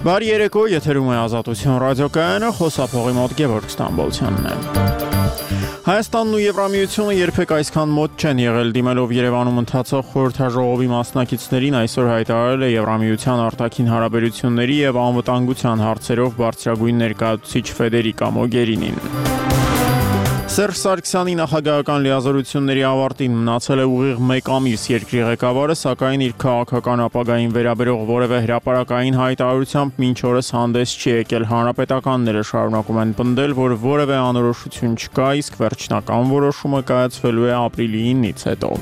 Բարի երեկո, եթերում է Ազատություն ռադիոկայանը, խոսափողի մոտ Գևորգ Ստամբոլցյանն է։ Հայաստանն ու Եվրամիությունը երբեք այսքան մոտ չեն եղել, դիմելով Երևանում ընթացող խորհրդաժողովի մասնակիցներին այսօր հայտարարել է Եվրամիության արտաքին հարաբերությունների եւ անվտանգության հարցերով բարձրագույն ներկայացուցիչ Ֆեդերիկա Մոգերինին։ Սերժ Սարգսյանի նախագահական լիազորությունների ավարտին մնացել է ուղիղ 1 ամիս երկրի ղեկավարը, սակայն իր քաղաքական ապագային վերաբերող որևէ հրապարակային հայտարարությամբ մինչ օրս հանդես չի եկել։ Հանրապետականները շարունակում են պնդել, որ որևէ անորոշություն չկա, իսկ վերջնական որոշումը կայացվելու է ապրիլի 9-ից հետո։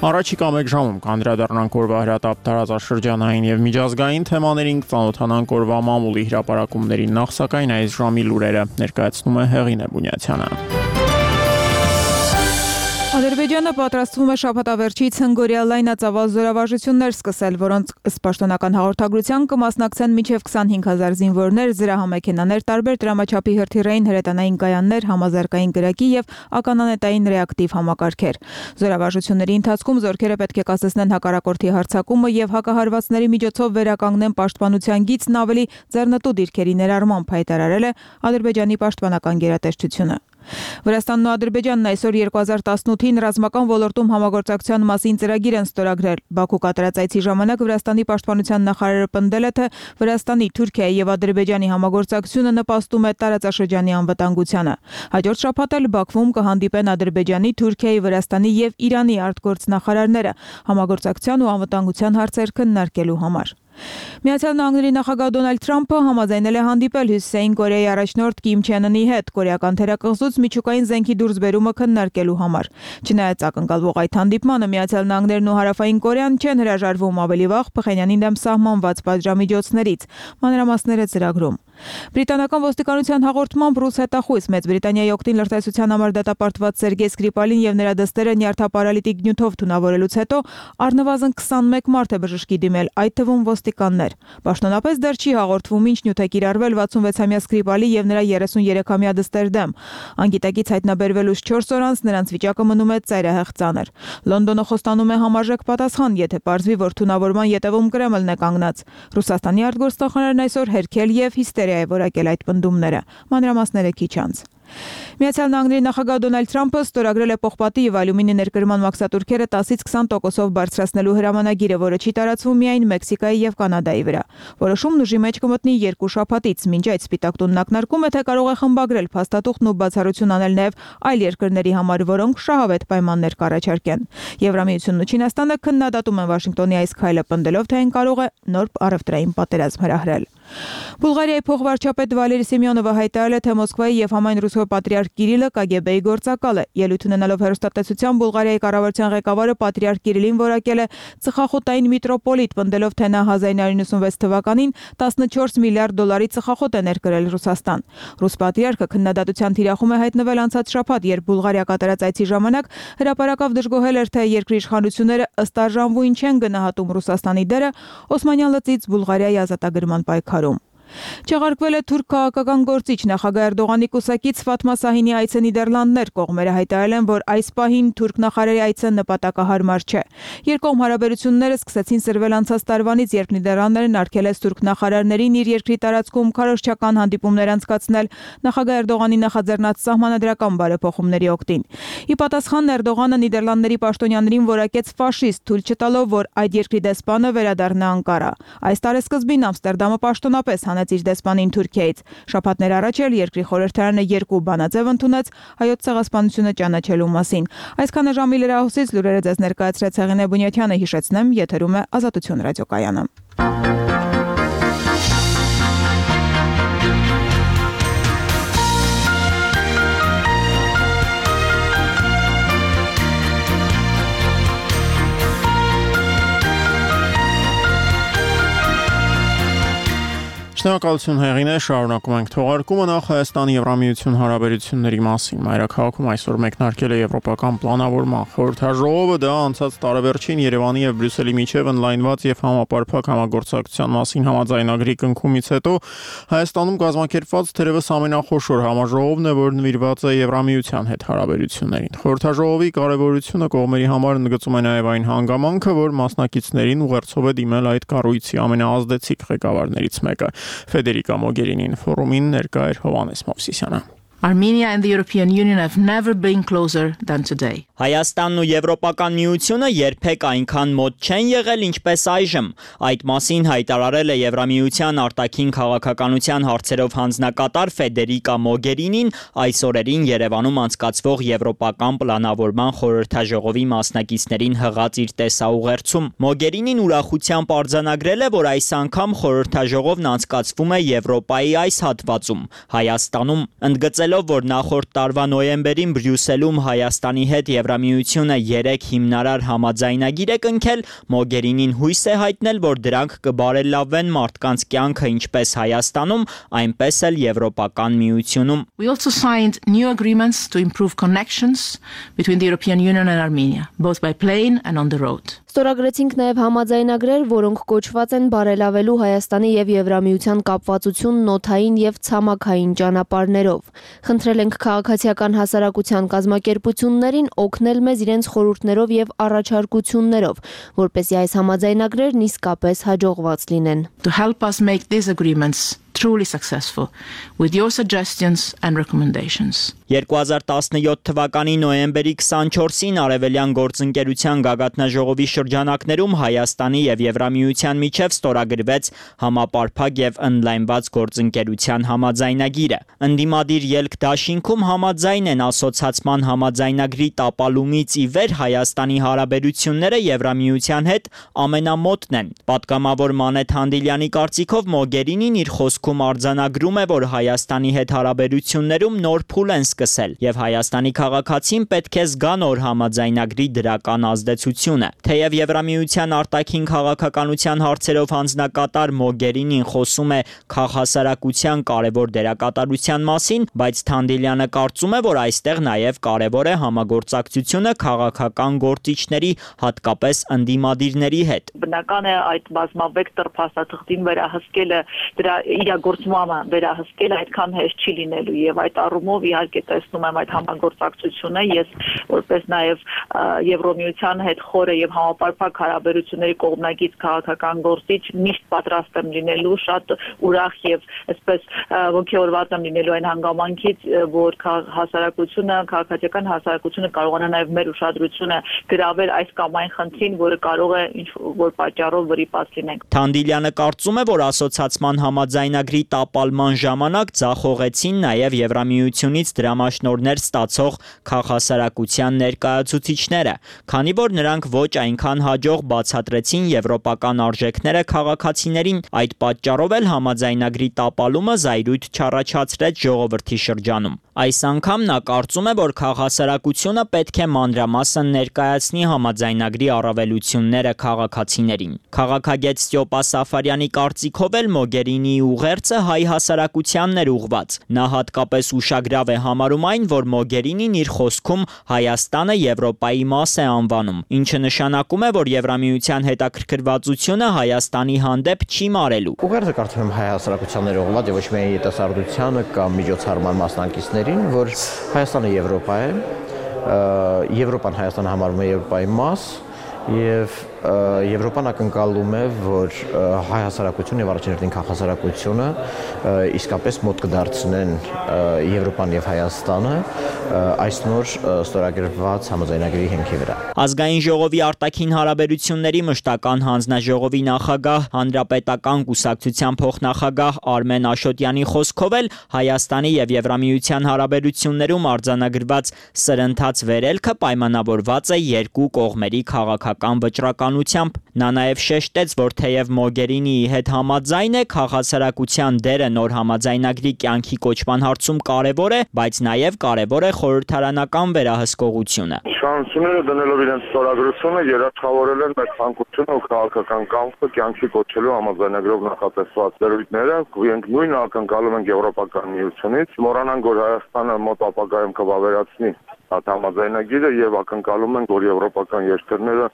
Առաջիկա 1 ժամում կանդրադառնանք օրվա հրատապ տարածաշրջանային եւ միջազգային թեմաներին, կծանոթանանք օրվա մամուլի հրապարակումներին, նախ սակայն այս ժամի լուրերը ներկայացնում է Հեղինե Բունյացյանը։ Ադրբեջանը պատրաստվում է շաբաթավերջից հնգօրյա լայնածավալ զորավարժություններ սկսել, որոնց ըստ պաշտոնական հաղորդագրության կմասնակցեն մինչև 25,000 զինվորներ, զրահամեքենաներ, տարբեր դրամաչափի հրթիռային հրետանային կայաններ, համազարգային կրակի եւ ականանետային ռեակտիվ համակարգեր։ Զորավարժությունների ընթացքում զորքերը պետք է կասեցնեն հակառակորդի հարձակումը եւ հակահարվածների միջոցով վերականգնեն պաշտպանության գիծն ավելի ձեռնտու դիրքերի ներառմամբ, հայտարարել է Ադրբեջանի պաշտպանական գերատեսչությունը։ Վրաստանն ու Ադրբեջանն այսօր 2018-ին ռազմական ոլորտում համագործակցության մասին ծրագիր են ստորագրել։ Բաքու կատարած այցի ժամանակ Վրաստանի պաշտպանության նախարարը պնդել է, թե Վրաստանի, Թուրքիայի եւ Ադրբեջանի համագործակցությունը նպաստում է տարածաշրջանի անվտանգությանը։ Հաջորդ շաբաթ էլ Բաքվում կհանդիպեն Ադրբեջանի, Թուրքիայի, Վրաստանի եւ Իրանի արտգործնախարարները համագործակցության ու անվտանգության հարցեր քննարկելու համար։ Միացյալ Նահանգների նախագահ Դոնալդ Թրամփը համաձայնել է հանդիպել Հյուսիսային Կորեայի առաջնորդ Կիմ Չեն Ընի հետ կորեական թերակղզուց միջուկային զենքի դուրսբերումը քննարկելու համար։ Չնայած ակնկալվող այդ հանդիպմանը Միացյալ Նահանգներն ու Հարավային Կորեան չեն հրաժարվում ավելի վաղ Փխենյանի դեմ սահմանված պատժամիջոցներից, մանրամասները ծրագրում։ Բրիտանական ոստիկանության հաղորդմամբ ռուս հետախույզ Մեծ Բրիտանիայի օգտին լրտեսության համար դատապարտված Սերգեյ Սկրիպալին եւ նրա դստերը նյարդապարալիտիկ նյութով թունավորելուց հետո առնվազն 21 մարդ է բժշկի դիմել, այդ թվում ոստիկաններ։ Պաշտոնապես դեռ չի հաղորդվում ինչ նյութ է կիրառվել 66-ամյա Սկրիպալի եւ նրա 33-ամյա դստեր դեմ։ Անգիտակից հայտնաբերվելուց 4 օր անց նրանց վիճակը մնում է ծայրահեղ ծանր։ Լոնդոնը խոստանում է համարժեք պատասխան, եթե պարզվի, որ թունավորման ետևում Կրեմլն է կանգնած։ Ռուսաստանի արտգործնախարարն այսօր հերքել եւ հիստերիա է որակել այդ պնդումները։ Մանրամասները քիչ անց։ Միացյալ Նահանգների նախագահ Դոնալդ Թրամփը ստորագրել է պողպատի եւ ալյումինի ներկրման մաքսատուրքերը 10-ից 20%-ով բարձրացնելու հրամանագիրը, որը չի տարածվում միայն Մեքսիկայի եւ Կանադայի վրա։ Որոշումն ուժի մեջ կմտնի 2 շաբաթից, մինչ այդ Սպիտակ տունն ակնարկում է, թե կարող է խմբագրել փաստաթուղթն ու բացառություն անել նաեւ այլ երկրների համար, որոնք շահավետ պայմաններ կառաջարկեն։ Եվրամիությունն ու Չինաստանը քննադատում են Վաշինգտոնի այս քայլը, պնդելով, թե այն կարող է նոր առևտրային պատերազմ հրահրել։ Բուլղարիայի փոխվարչապետ Վալերի Սիմեոնովը հայտարարել է, թե Մոսկվայի եւ համայն ռուսոյ պատրիարք Կիրիլը KGB-ի գործակալ է։ Ելույթ ունենալով հեռուստատեսության Բուլղարիայի կառավարության ղեկավարը պատրիարք Կիրիլին որակել է ծխախոտային միտրոպոլիտ, պնդելով, թե նա 1996 թվականին 14 միլիարդ դոլարի ծխախոտ է ներկրել Ռուսաստան։ Ռուս պատրիարքը քննադատության թիրախում է հայտնվել անցած շաբաթ, երբ Բուլղարիա կատարած այցի ժամանակ հրապարակավ դժգոհել էր, թե երկրի իշխանությունները ըստ արժանվույն չեն գնահատում Ռուսաստանի դերը Օսմանյան լծից Բուլղարիայի ազատագրման պայքարում։ Չեղարկվել է թուրք քաղաքական գործիչ նախագահ Էրդողանի կուսակից Ֆաթմա Սահինի այցը Նիդերլանդներ, կողմերը հայտարարել են, որ այս պահին թուրք նախարարի այցը նպատակահարմար չէ։ Երկկողմ հարաբերությունները սկսեցին սրվել անցած տարվանից, երբ Նիդերլանդներն արգելեց թուրք նախարարներին իր երկրի տարածքում քարոզչական հանդիպումներ անցկացնել նախագահ Էրդողանի նախաձեռնած սահմանադրական բարեփոխումների օգտին։ Ի պատասխան Էրդողանը Նիդերլանդների պաշտոնյաներին որակեց ֆաշիստ, թույլ չտալով, որ այդ երկրի դեսպանը վերադառնա Անկարա։ Այս տարեսկզբին Ամստերդամը պաշտոնապես իր դեսպանին Թուրքիայից։ Շաբաթներ առաջ էլ երկրի խորհրդարանը 2 բանաձև ընդունեց հայոց ցեղասպանությունը ճանաչելու մասին։ Այսքանը ժամի լրահոսից լուրերը ձեզ ներկայացրեց Հեղինե Բունյացյանը, հիշեցնեմ, եթերում է Ազատություն ռադիոկայանը։ Շնորհակալություն Հեղինե, շարունակում ենք թողարկումը նախ Հայաստանի Եվրամիություն հարաբերությունների մասին։ Մայրաքաղաքում այսօր մեկնարկել է Եվրոպական պլանավորման խորհրդաժողովը, դա անցած տարեվերջին Երևանի եւ Բրյուսելի միջև ընդլայնված եւ համապարփակ համագործակցության մասին համաձայնագրի կնքումից հետո Հայաստանում կազմակերպված թերևս ամենախոշոր համաժողովն է, որ նվիրված է Եվրամիության հետ հարաբերություններին։ Խորհրդաժողովի կարևորությունը կողմերի համար ընդգծում է նաեւ այն հանգամանքը, որ մասնակիցներին ուղերձով է դիմել այդ կառույցի ամենաազդեցիկ ղեկավարներից մեկը։ Ֆեդերիկա Մոգերինին ֆորումին ներկա էր Հովանես Մովսիսյանը։ Armenia and the European Union have never been closer than today. Հայաստանն ու Եվրոպական միությունը երբեք այնքան մոտ չեն եղել, ինչպես այժմ։ Այդ մասին հայտարարել է Եվրամիության արտաքին քաղաքականության հարցերով հանձնակատար Ֆեդերիկա Մոգերինին այս օրերին Երևանում անցկացվող Եվրոպական պլանավորման խորհրդաժողովի մասնակիցներին հղած իր տեսաուղերձում։ Մոգերինին ուրախությամբ արձանագրել է, որ այս անգամ խորհրդաժողովն անցկացվում է Եվրոպայի այս հատվածում, Հայաստանում, ընդգծել որ նախորդ տարվա նոյեմբերին Բրյուսելում Հայաստանի հետ Եվրամիությունը 3 հիմնարար համաձայնագիր է կնքել, Մոգերինին հույս է հայտնել, որ դրանք կբարելավեն մարդկանց կյանքը ինչպես Հայաստանում, այնպես էլ Եվրոպական միությունում։ We also signed new agreements to improve connections between the European Union and Armenia, both by plane and on the road. Ստորագրեցինք նաև համաձայնագրեր, որոնք կոչված են բարելավելու Հայաստանի եւ Եվրամիության կապվածությունն օդային եւ ցամաքային ճանապարհներով։ Խնդրել ենք քաղաքացիական հասարակության կազմակերպություններին օգնել մեզ իրենց խորհուրդներով եւ առաջարկություններով, որպեսզի այս համաձայնագրերն իսկապես հաջողված լինեն։ To help us make these agreements truly successful with your suggestions and recommendations. 2017 թվականի նոյեմբերի 24-ին Արևելյան գործընկերության գագաթնաժողովի շրջանակներում Հայաստանի եւ Եվրամիության միջև ստորագրվեց համապարփակ եւ ընդլայնված գործընկերության համաձայնագիրը։ Ընդդիմադիր ելք դաշինքում համաձայն են ասոցացման համաձայնագրի տապալումից ի վեր Հայաստանի հարաբերությունները Եվրամիության հետ ամենամոտն են։ Պատգամավոր Մանեթ Հանդիլյանի կարծիքով Մոգերինին իր խոսքում արձանագրում է, որ Հայաստանի հետ հարաբերություններում նոր փուլ են սկսել եւ Հայաստանի քաղաքացին պետք է զգա նոր համաձայնագրի դրական ազդեցությունը։ Թեև Եվրամիության արտաքին քաղաքականության հարցերով հանձնակատար Մոգերինին խոսում է քաղաքասարակության կարևոր դերակատարության մասին, բայց Թանդիլյանը կարծում է, որ այստեղ նաեւ կարևոր է համագործակցությունը քաղաքական գործիչների, հատկապես ընդդիմադիրների հետ։ Բնական է այդ բազմավեկտոր փաստաթղթին վերահսկելը, դրա իրագործումը վերահսկելը այդքան հեշտ չի լինելու եւ այդ առումով իհարկե տեսնում եմ այդ համագործակցությունը ես որպես նաեւ Եվրոմիության հետ խորը եւ համապարփակ հարաբերությունների կողմնակից քաղաքական գործիչ միշտ պատրաստ եմ լինելու շատ ուրախ եւ այսպես ողջորված եմ լինելու այն հանգամանքից որ հասարակությունը քաղաքացիական հասարակությունը կարողանա նաեւ մեր ուշադրությունը գրավել այս կամ այն խնդրին, որը կարող է ինչ որ պատճառով վրիպած լինենք։ Թանդիլյանը կարծում է, որ ասոցացման համաձայնագրի տապալման ժամանակ ձախողեցին նաև Եվրամիությունից դրամաշնորհներ ստացող քաղաքասարակության ներկայացուցիչները, քանի որ նրանք ոչ այնքան հաջող բացատրեցին եվրոպական արժեքները քաղաքացիներին, այդ պատճառով էլ համաձայնագրի տապալումը զայրույթ չառաջացրեց ժողովրդի շրջանում։ Այս անգամ նա կարծում է, որ քաղաքասարակությունը պետք է մանրամասն ներկայացնի համաձայնագրի առավելությունները քաղաքացիներին։ Քաղաքագետ Ստյոպա Սաֆարյանի կարծիքով էլ Մոգերինիի ուղերձը հայ հասարակությանն էր ուղված։ Նա հատկապես ուշագրավ է համարում այն, որ Մոգերինին իր խոսքում Հայաստանը Եվրոպայի մաս է անվանում, ինչը նշանակում է, որ Եվրամիության հետաքրքրվածությունը Հայաստանի հանդեպ չի մարելու։ Ուղերձը կարծում եմ հայ հասարակությանն ուղղված եւ ոչ միայն ետասարդությանը կամ միջոցառման մասնակիցներին, որ Հայաստանը Եվրոպա է, Եվրոպան Հայաստանը համարվում է Եվրոպայի մաս եւ Եվրոպան ակնկալում է, որ հայ հասարակությունը եւ առաջին հերթին քաղաքասարակությունը իսկապես մոտ կդարձնեն Եվրոպան եւ Հայաստանը այս նոր ստորագրված համաձայնագրի հիմքի վրա։ Ազգային ժողովի արտաքին հարաբերությունների մշտական հանձնաժողովի նախագահ, հանրապետական կուսակցության փոխնախագահ Արմեն Աշոտյանի խոսքով էլ Հայաստանի եւ Եվրամիության հարաբերություններում արձանագրված սրընթաց վերելքը պայմանավորված է երկու կողմերի քաղաքական վճռականությամբ իշխանությամբ։ Նա նաև շեշտեց, որ թեև Մոգերինիի հետ համաձայն է, քաղաքասարակության դերը նոր համաձայնագրի կյանքի կոչման հարցում կարևոր է, բայց նաև կարևոր է խորհրդարանական վերահսկողությունը։ Իշխանությունները դնելով իրենց ստորագրությունը երաշխավորել են մեր ցանկությունը ու քաղաքական կամքը կյանքի կոչելու համաձայնագրով նախատեսված դերույթները, իրենք նույնը ակնկալում են Եվրոպական միությունից, մոռանանք, որ Հայաստանը մոտ ապագայում կվավերացնի այդ համաձայնագիրը եւ ակնկալում են, որ եվրոպական երկրները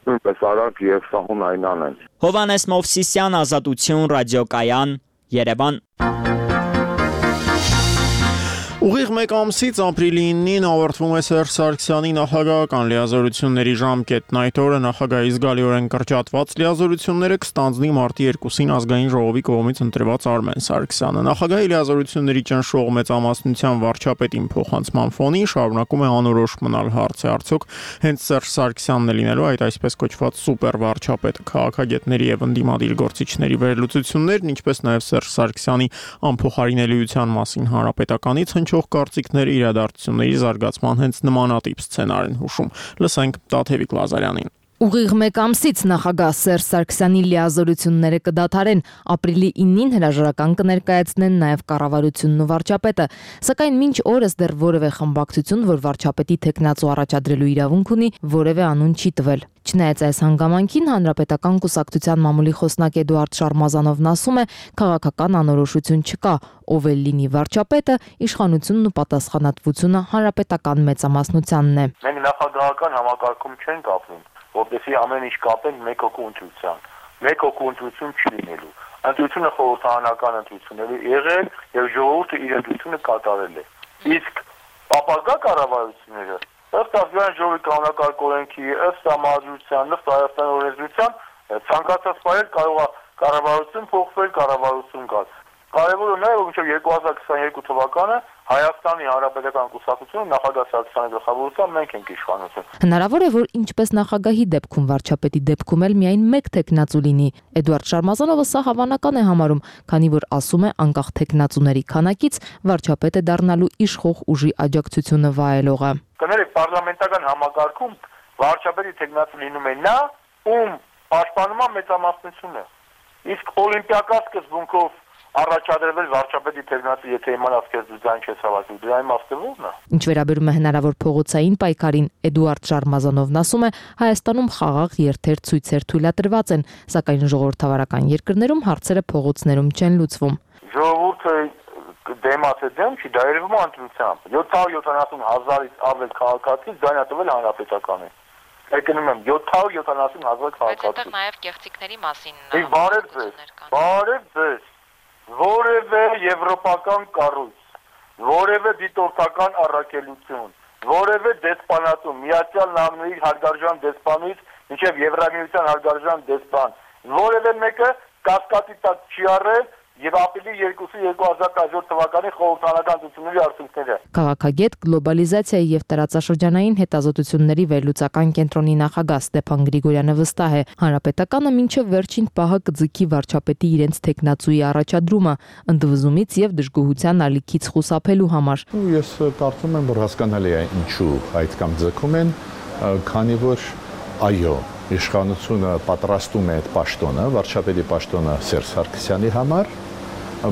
նույնպես արագ եւ սահուն անեն։ Հովհաննես Մովսիսյան, Ազատություն, Ռադիոկայան, Երևան։ Ուղիղ մեկ ամսից ապրիլի 9-ին ավարտվում է Սերժ Սարգսյանի նախագահական լիազորությունների ժամկետն։ Այդ օրը նախագահի զգալիորեն կրճատված լիազորությունները կստանձնի մարտի 2-ին ազգային ժողովի կողմից ընտրված Արմեն Սարգսյանը։ Նախագահի լիազորությունների ճնշող մեծամասնության վարչապետին փոխանցման ֆոնին շարունակում է անորոշ մնալ հարցը, արդյոք հենց Սերժ Սարգսյանն է լինելու այդ այսպես կոչված սուպեր վարչապետը։ Քաղաքագետների եւ ընդդիմադիր գործիչների վերլուծություններն, ինչպես նաեւ Սերժ Սարգսյանի անփոխարինելիության մասին հանրապետականից կարծիքներ իրադարձությունների զարգացման հենց նմանատիպ սցենար են հուշում։ Լսենք Տաթևիկ Լազարյանին։ Ուղիղ մեկ ամսից նախագահ Սերժ Սարգսյանի լիազորությունները կդադարեն, ապրիլի 9-ին հրաժարական կներկայացնեն նաև կառավարությունն ու վարչապետը, սակայն մինչ օրս դեռ որևէ խմբակցություն, որ վարչապետի թեկնածու առաջադրելու իրավունք ունի, որևէ անուն չի տվել։ Չնայած այս հանգամանքին Հանրապետական կուսակցության մամուլի խոսնակ Էդուարդ Շարմազանովն ասում է, քաղաքական անորոշություն չկա, ով էլ լինի վարչապետը, իշխանությունն ու պատասխանատվությունը հանրապետական մեծամասնությանն է։ Մենք նախագահական համակարգում չենք ապրում, որտեսի ամեն ինչ կապենք մեկ հոգու ընտրության։ Մեկ հոգու ընտրություն չի լինելու։ Ընտրությունը խորհրդարանական ընտրություններ է եղել եւ ժողովուրդը իր ընտրությունը կատարել է։ Իսկ ապագա կառավարությունները ըստ ազգային ժողովի կանոնակարգ օրենքի, ըստ համաձայնության, ըստ Հայաստանի օրենսդրության ցանկացած ֆայլ կարող է կառավարություն փոխվել, կառավարություն գալ։ Կարևորը նա է, որ մինչև 2022 թվականը Հայաստանի Հանրապետական կուսակցությունը նախագահ Սարգսյանի գլխավորությամբ մենք ենք իշխանություն։ Հնարավոր է, որ ինչպես նախագահի դեպքում վարչապետի դեպքում էլ միայն մեկ թեկնածու լինի։ Էդուարդ Շարմազանովը սա հավանական է համարում, քանի որ ասում է անկախ թեկնածուների քանակից վարչապետը դառնալու իշխող ուժի աջակցությունը վայելողը։ Կներեք, պարլամենտական համակարգում վարչապետի թեկնածու լինում է նա, ում պաշտպանում է մեծամասնությունը։ Իսկ օլիմպիական սկզբունքով առաջադրվել վարչապետի թեկնածու, եթե իմանաս քեզ դու ձայն չես հավաքել, դրա իմաստը ո՞րն է։ Ինչ վերաբերում է հնարավոր փողոցային պայքարին, Էդուարդ Շարմազանովն ասում է, Հայաստանում խաղաղ երթեր ցույցեր թույլատրված են, սակայն ժողովրդավարական երկրներում հարցերը փողոցներում չեն լուծվում։ Ժողովուրդը դեմացը դեմ չի, դա երևում է ընտրությամբ։ 770,000-ից ավել քաղաքացի ձայն է տվել հանրապետականին։ Եկնում եմ 770,000 քաղաքացի։ Բայց այդտեղ նաև կեղծիքների մասին բարև ձեզ։ Որևէ եվրոպական կառույց, որևէ դիտորդական առաքելություն, որևէ դեսպանատու, Միացյալ Նահանգների հարգարժան դեսպանից մինչև Եվրամիության հարգարժան դեսպան, որևէ մեկը կասկածի տակ չի առել եւ ապրիլի 2-ի 2017 թվականի խորհրդարանական ընտրությունների արդյունքները։ Քաղաքագետ, գլոբալիզացիայի եւ տարածաշրջանային հետազոտությունների վերլուծական կենտրոնի նախագահ Ստեփան Գրիգորյանը վստահ է, հանրապետականը մինչև վերջին պահը կձգի վարչապետի իրենց թեկնածուի առաջադրումը, ընդվզումից եւ դժգոհության ալիքից խուսափելու համար։ Ես կարծում եմ, որ հասկանալի է ինչու այդքան ձգում են, քանի որ այո, իշխանությունը պատրաստում է այդ պաշտոնը, վարչապետի պաշտոնը Սերժ Սարգսյանի համար,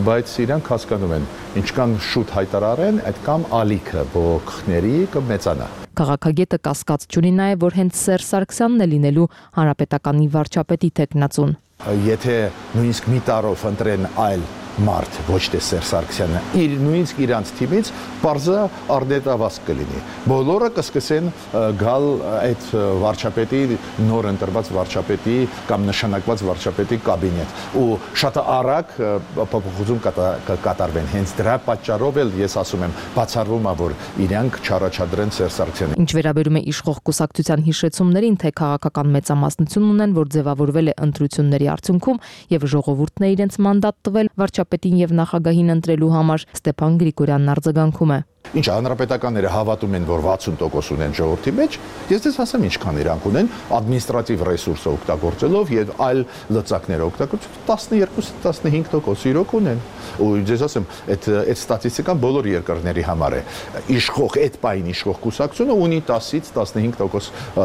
բայց իրանք հասկանում են, ինչքան շուտ հայտարարեն, այդքան ալիքը բողոքների կմեծանա։ Քաղաքագետը կասկած չունի նաև, որ հենց Սերժ Սարգսյանն է լինելու հանրապետականի վարչապետի թեկնածուն։ Եթե նույնիսկ մի տարով ընտրեն այլ մարդ, ոչ թե Սերժ Սարգսյանը, նույնիսկ իրանց թիմից պարզը արդետավազ կլինի։ Բոլորը կսկսեն գալ այդ վարչապետի, նոր ընտրված վարչապետի կամ նշանակված վարչապետի կաբինետ ու շատ արագ փոփոխություն կկատարվեն։ Հենց դրա պատճառով էլ ես ասում եմ, բացառվում է, որ իրանք չառաջադրեն Սերժ Սարգսյանին։ Ինչ վերաբերում է իշխող կուսակցության հիշեցումներին, թե քաղաքական մեծամասնություն ունեն, որ ձևավորվել է ընտրությունների արդյունքում եւ ժողովուրդն է իրենց մանդատ տվել վարչապետին եւ նախագահին ընտրելու համար, Ստեփան Գրիգորյանն արձագանքում է։ Ինչ հանրապետականները հավատում են, որ 60% ունեն ժողովրդի մեջ, ես դες ասեմ ինչքան իրանք ունեն ադմինիստրատիվ ռեսուրսը օգտագործելով եւ այլ լծակները օգտագործելով 12-15% իրոք ունեն։ Ու ես ասեմ, այդ ստատիստիկան բոլոր երկրների համար է։ Իշխող այդ պայն իշխող կուսակցությունը ունի 10-ից 15%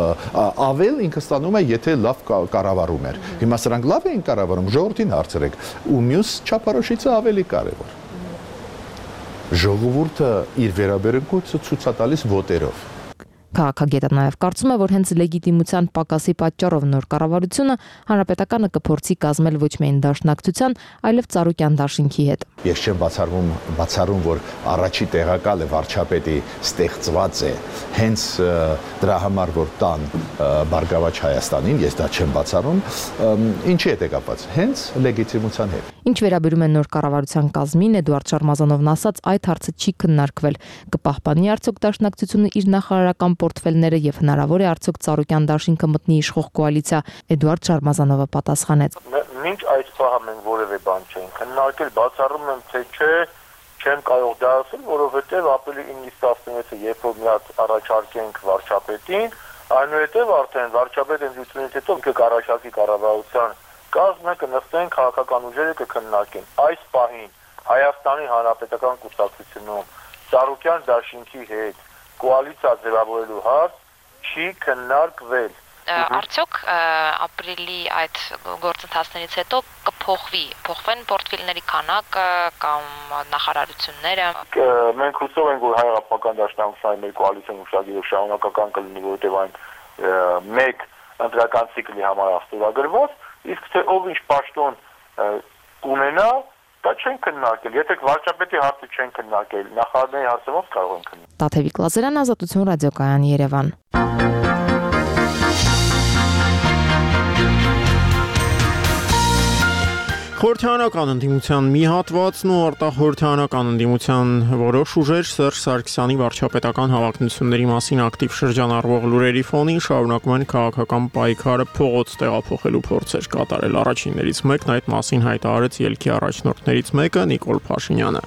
ավել ինքը ստանում է, եթե լավ կառավարում էր։ Հիմա սրանք լավ են կառավարում, ժողովրդին հարցրեք, ու մյուս չափորոշիցը ավելի կարևոր։ Ժողովուրդը իր վերաբերմունքը ցույց է տալիս վոտերով։ Քաղաքագետը նաև կարծում է, որ հենց լեգիտիմության պակասի պատճառով նոր կառավարությունը հանրապետականը կփորձի կազմել ոչ միայն դաշնակցության, այլև Ծառուկյան դաշինքի հետ։ Ես չեմ բացառում, որ առաջի տեղակալը վարչապետի ստեղծված է հենց դրա համար, որ տան Բարգավաճ Հայաստանին, ես դա չեմ բացառում, ինչի հետ է կապված, հենց լեգիտիմության հետ։ Ինչ վերաբերում է նոր կառավարության կազմին, Էդուարդ Շարմազանովն ասաց, այդ հարցը չի քննարկվել։ Կպահպանի արդյոք դաշնակցությունը իր նախարարական պորտֆելները եւ հնարավոր է արդյոք Ծառուկյան դաշինքը մտնի իշխող կոալիցիա։ Էդուարդ Շարմազանովը պատասխանեց. Մինչ այս պահը մենք որևէ բան չենք քննարկել, բացառում եմ, թե չէ, չեմ կարող դա ասել, որովհետեւ ապրիլի 9-ից 16-ը երբ որ մի հատ առաջարկենք վարչապետին, այնուհետեւ արդեն վարչապետը ընդունելուց հետո կառաջարկի կառավարության կազմը, կնստեն քաղաքական ուժերը կքննարկեն։ Այս պահին Հայաստանի Հանրապետական կուսակցությունում Ծառուկյան դաշինքի հետ կոալիցիա ձևավորելու հարց չի քննարկվել։ Արդյոք ապրիլի այդ գործընթացներից հետո փոխվեն պորտֆելների քանակը կամ նախարարությունները։ Մենք հուսով ենք, որ Հայ-Հեղափոխական դաշնակցության մեր կոալիցիան ուշադրով շարունակական կլինի, որովհետև այն մեկ ընտրական ցիկլի համար ստորագրված, իսկ թե ով ինչ պաշտոն կունենա, դա չեն քննարկել։ Եթե վարչապետի հարցը չեն քննարկել, նախարարների հարցը ո՞նց կարող են քննարկել։ Տաթևիկ Լազարյան, Ազատություն ռադիոկայան, Երևան։ Խորհրդարանական ընդդիմության մի հատվածն ու արտախորհրդարանական ընդդիմության որոշ ուժեր Սերժ Սարգսյանի վարչապետական հավակնությունների մասին ակտիվ շրջանառվող լուրերի ֆոնին շարունակում են քաղաքական պայքարը փողոց տեղափոխելու փորձեր կատարել։ Առաջիններից մեկն այդ մասին հայտարարեց ելքի առաջնորդներից մեկը Նիկոլ Փաշինյանը։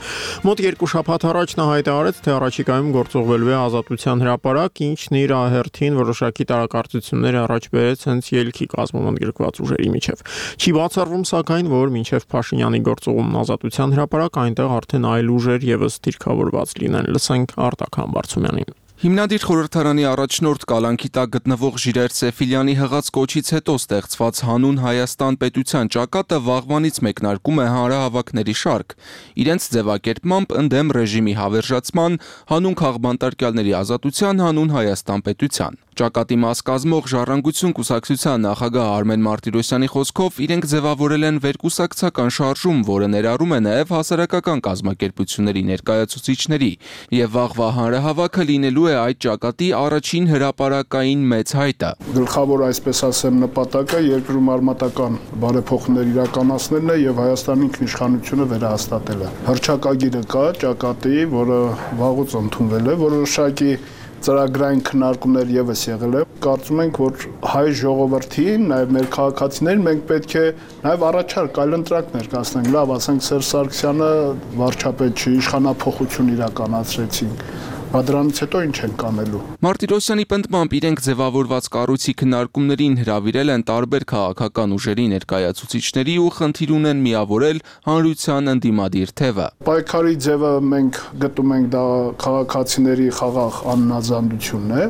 Մոտ 2 շաբաթ առաջ նա հայտարարեց, թե առաջիկայում գործողվելու է Ազատության հրապարակ, ինչն իր հերթին որոշակի տարակարծություններ առաջ բերեց հենց ելքի կազմում ընդգրկված ուժերի միջև։ Չի բացառվում սակայն, որ մինչև Փաշինյանի գործողումն Ազատության հրապարակ այնտեղ արդեն այլ ուժեր եւս դիրքավորված լինեն։ Լսենք Արտակ Համբարձումյանին։ Հիմնադիր խորհրդարանի առաջնորդ Կալանքի տակ գտնվող Ժիրայր Սեֆիլյանի հղած կոչից հետո ստեղծված հանուն Հայաստան պետության ճակատը վաղվանից մեկնարկում է հանրահավաքների շարք։ Իրենց ձևակերպմամբ ընդդեմ ռեժիմի հավերժացման, հանուն քաղբանտարկյալների ազատության, հանուն Հայաստան պետության։ Ճակատի մաս կազմող Ժառանգություն կուսակցության նախագահ Արմեն Մարտիրոսյանի խոսքով իրենք ձևավորել են վերկուսակցական շարժում, որը ներառում է նաև հասարակական կազմակերպությունների ներկայացուցիչների, եւ վաղվա հանրահավաքը լինելու է այդ ճակատի առաջին հրապարակային մեծ հայտը։ Գլխավոր, այսպես ասեմ, նպատակը երկրում արմատական բարեփոխումներ իրականացնելն է եւ Հայաստանի ինքնիշխանությունը վերահաստատելը։ Հռչակագիրը կա ճակատի, որը վաղուց ընդունվել է, որոշակի ծրագրային քննարկումներ եւս եղել է։ Կարծում ենք, որ հայ ժողովրդին, նաեւ մեր քաղաքացիներին մենք պետք է նաեւ առաջարկ այլընտրանք ներկայացնենք։ Լավ, ասենք Սերժ Սարգսյանը վարչապետ չի, իշխանափոխություն իրականացրեցինք։ Դրանից հետո ինչ են կանելու։ Մարտիրոսյանի պնդմամբ իրենք ձևավորված կառույցի քննարկումներին հրավիրել են տարբեր քաղաքական ուժերի ներկայացուցիչների ու խնդիր ունեն միավորել հանրության ընդդիմադիր թևը։ Պայքարի ձևը մենք գտնում ենք դա քաղաքացիների խաղաղ աննազանդությունն է